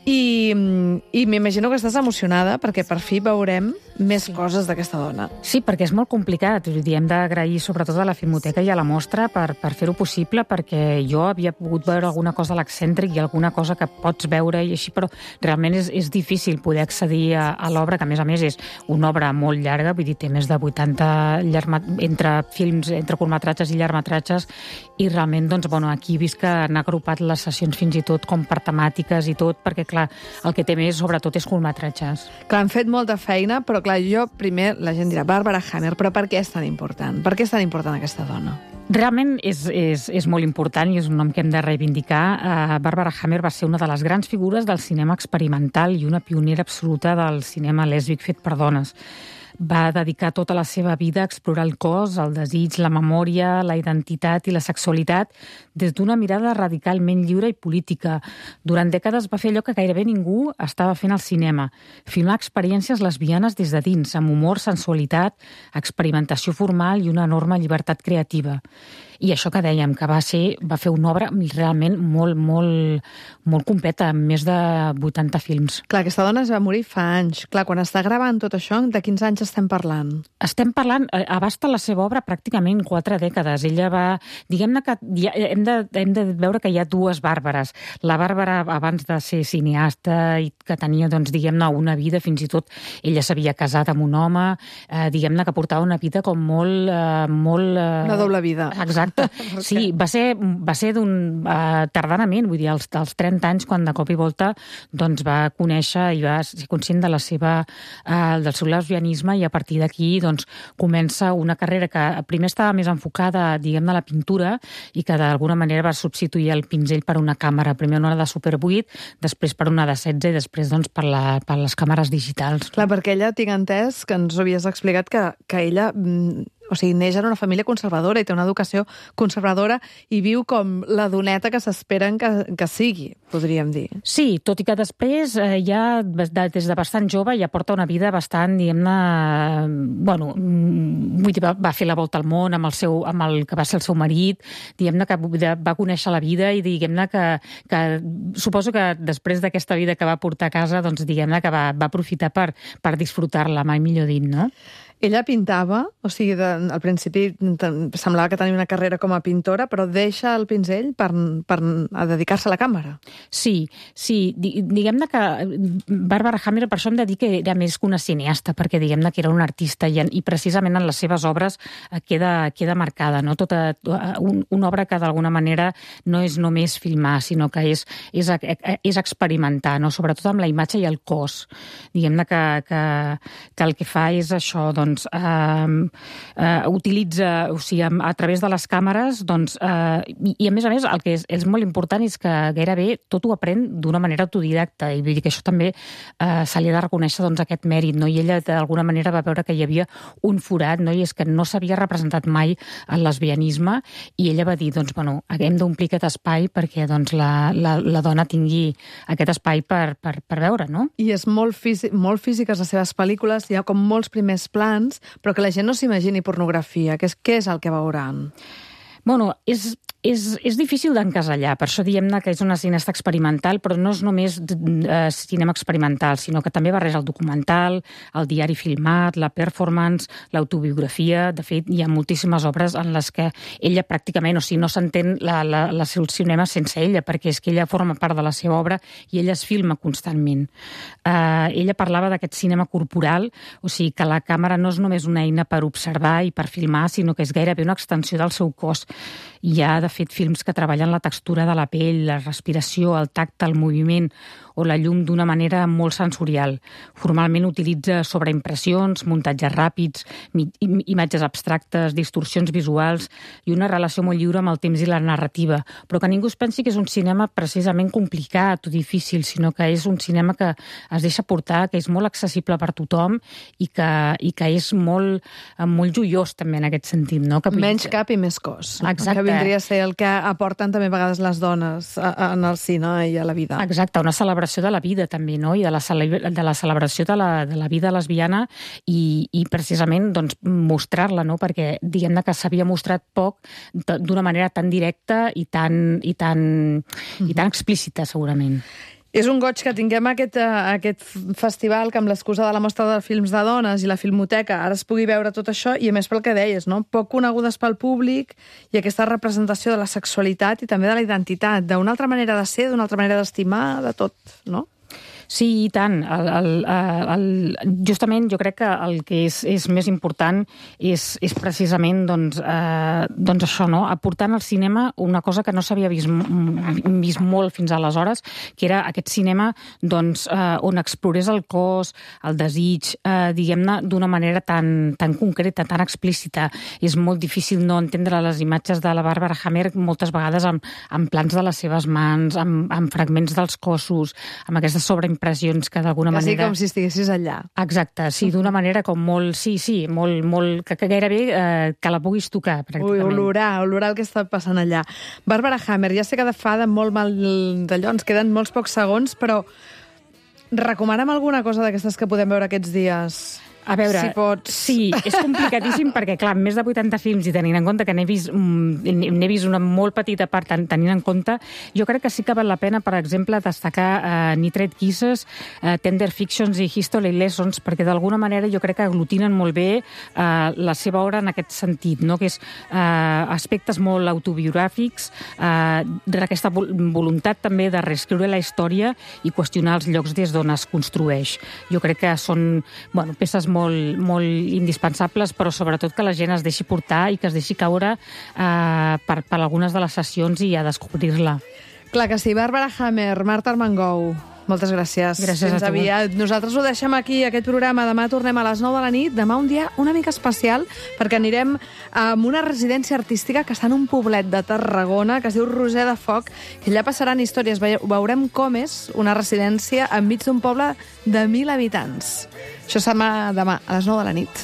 i, i m'imagino que estàs emocionada perquè per fi veurem més sí. coses d'aquesta dona. Sí, perquè és molt complicat. Vull dir, hem d'agrair sobretot a la Filmoteca i a la Mostra per, per fer-ho possible, perquè jo havia pogut veure alguna cosa a l'excèntric i alguna cosa que pots veure i així, però realment és, és difícil poder accedir a, a l'obra, que a més a més és una obra molt llarga, vull dir, té més de vuitanta llarma, entre films, entre curtmetratges i llargmetratges, i realment, doncs, bueno, aquí he vist que han agrupat les sessions fins i tot com per temàtiques i tot, perquè, clar, el que té més, sobretot, és curtmetratges. Clar, han fet molta feina, però clar, jo primer, la gent dirà, Bàrbara Hammer, però per què és tan important? Per què és tan important aquesta dona? Realment és, és, és molt important i és un nom que hem de reivindicar. Uh, Bàrbara Hammer va ser una de les grans figures del cinema experimental i una pionera absoluta del cinema lèsbic fet per dones. Va dedicar tota la seva vida a explorar el cos, el desig, la memòria, la identitat i la sexualitat des d'una mirada radicalment lliure i política. Durant dècades va fer allò que gairebé ningú estava fent al cinema, filmar experiències lesbianes des de dins, amb humor, sensualitat, experimentació formal i una enorme llibertat creativa. I això que dèiem, que va ser, va fer una obra realment molt, molt, molt completa, amb més de vuitanta films. Clar, aquesta dona es va morir fa anys. Clar, quan està gravant tot això, de quins anys estem parlant? Estem parlant, abasta la seva obra pràcticament quatre dècades. Ella va, diguem-ne que ja, hem, de, hem de veure que hi ha dues Bàrbares. La Bàrbara, abans de ser cineasta i que tenia, doncs, diguem-ne, una vida, fins i tot ella s'havia casat amb un home, eh, diguem-ne que portava una vida com molt... Eh, molt eh... Una doble vida. Exacte. Sí, va ser, va ser d'un uh, tardanament, vull dir, als, als trenta anys, quan de cop i volta doncs, va conèixer i va ser conscient de la seva, uh, del seu lesbianisme, i a partir d'aquí doncs, comença una carrera que primer estava més enfocada, diguem-ne, a la pintura, i que d'alguna manera va substituir el pinzell per una càmera, primer una de Super vuit, després per una de setze i després doncs, per, la, per les càmeres digitals. Clar, perquè ella, tinc entès, que ens ho havies explicat, que, que ella... Mm, o sigui, neix en una família conservadora i té una educació conservadora i viu com la doneta que s'esperen que, que sigui, podríem dir. Sí, tot i que després eh, ja de, des de bastant jove ja porta una vida bastant, diguem-ne, bueno, vull dir, va, va fer la volta al món amb el, seu, amb el que va ser el seu marit, diguem-ne que va conèixer la vida i diguem-ne que, que suposo que després d'aquesta vida que va portar a casa, doncs diguem-ne que va, va aprofitar per, per disfrutar-la, mai millor dit, no? Ella pintava, o sigui, de, al principi semblava que tenia una carrera com a pintora, però deixa el pinzell per, per a dedicar-se a la càmera. Sí, sí. Diguem-ne que Barbara Hammer, per això em dedica, era més que una cineasta, perquè diguem-ne que era una artista i, i precisament en les seves obres queda, queda marcada, no? Tota un, una obra que d'alguna manera no és només filmar, sinó que és, és, és experimentar, no? Sobretot amb la imatge i el cos. Diguem-ne que, que, que el que fa és això, doncs, doncs, eh, eh, utilitza, o sigui, a, a través de les càmeres, doncs, eh, i, i a més a més el que és, és molt important és que gairebé tot ho aprèn d'una manera autodidacta, i vull dir que això també eh, se li ha de reconèixer doncs, aquest mèrit, no? I ella d'alguna manera va veure que hi havia un forat, no? I és que no s'havia representat mai el lesbianisme, i ella va dir, doncs, bueno, hem d'omplir aquest espai perquè doncs, la, la, la dona tingui aquest espai per, per, per veure, no? I és molt, físic, molt físiques les seves pel·lícules, hi ha com molts primers plans, però que la gent no s'imagini pornografia. Què és, què és el que veuran? Bueno, és, és, és difícil d'encasellar, per això diem que és una cineasta experimental, però no és només eh, cinema experimental, sinó que també barreja el documental, el diari filmat, la performance, l'autobiografia. De fet, hi ha moltíssimes obres en les que ella pràcticament, o sigui, no s'entén la, la, la seu cinema sense ella, perquè és que ella forma part de la seva obra i ella es filma constantment. Eh, ella parlava d'aquest cinema corporal, o sigui, que la càmera no és només una eina per observar i per filmar, sinó que és gairebé una extensió del seu cos. Hi ha, de fet, films que treballen la textura de la pell, la respiració, el tacte, el moviment o la llum d'una manera molt sensorial. Formalment utilitza sobreimpressions, muntatges ràpids, imatges abstractes, distorsions visuals i una relació molt lliure amb el temps i la narrativa. Però que ningú es pensi que és un cinema precisament complicat o difícil, sinó que és un cinema que es deixa portar, que és molt accessible per tothom i que, i que és molt, molt joiós també en aquest sentit. No? Que Menys cap i més cos. Exacte. Que vindria a ser el que aporten també a vegades les dones en el cine i a la vida. Exacte, una celebració de la vida també, no? I de la, cele... de la celebració de la, de la vida lesbiana i, i precisament doncs, mostrar-la, no? Perquè diguem-ne que s'havia mostrat poc d'una manera tan directa i tan, i tan, mm-hmm. i tan explícita, segurament. És un goig que tinguem aquest, aquest festival que amb l'excusa de la mostra de films de dones i la Filmoteca ara es pugui veure tot això i a més pel que deies, no? Poc conegudes pel públic i aquesta representació de la sexualitat i també de la identitat, d'una altra manera de ser, d'una altra manera d'estimar, de tot, no? Sí, i tant. El, el, el, justament jo crec que el que és, és més important és, és precisament doncs, eh, doncs això, no? Aportant al cinema una cosa que no s'havia vist, vist molt fins aleshores, que era aquest cinema doncs, eh, on explorés el cos, el desig, eh, diguem-ne, d'una manera tan, tan concreta, tan explícita. És molt difícil no entendre les imatges de la Barbara Hammer moltes vegades amb, amb plans de les seves mans, amb, amb fragments dels cossos, amb aquestes sobreimpressions que d'alguna manera... Quasi com si estiguessis allà. Exacte, sí, d'una manera com molt... Sí, sí, molt... molt que, que gairebé eh, que la puguis tocar, pràcticament. Ui, olorar, olorar el que està passant allà. Barbara Hammer, ja sé que de fa de molt mal d'allò, ens queden molts pocs segons, però recomana'm alguna cosa d'aquestes que podem veure aquests dies... A veure, si pots... sí, és complicadíssim perquè, clar, més de vuitanta films i tenint en compte que n'he vist, n'he vist una molt petita part tenint en compte, jo crec que sí que val la pena, per exemple, destacar uh, Nitrate Kisses, uh, Tender Fictions i History Lessons, perquè d'alguna manera jo crec que aglutinen molt bé uh, la seva obra en aquest sentit, no? Que és uh, aspectes molt autobiogràfics, uh, d'aquesta voluntat també de reescriure la història i qüestionar els llocs des d'on es construeix. Jo crec que són, bueno, peces molt, molt indispensables, però sobretot que la gent es deixi portar i que es deixi caure eh, per, per algunes de les sessions i a descobrir-la. Clar que sí. Barbara Hammer, Marta Armengou, moltes gràcies. Gràcies Fins a tu. aviat. Nosaltres ho deixem aquí, aquest programa. Demà tornem a les nou de la nit. Demà un dia una mica especial, perquè anirem a una residència artística que està en un poblet de Tarragona, que es diu Roser de Foc, i allà passaran històries. Veurem com és una residència enmig d'un poble de mil habitants. Això serà demà a les nou de la nit.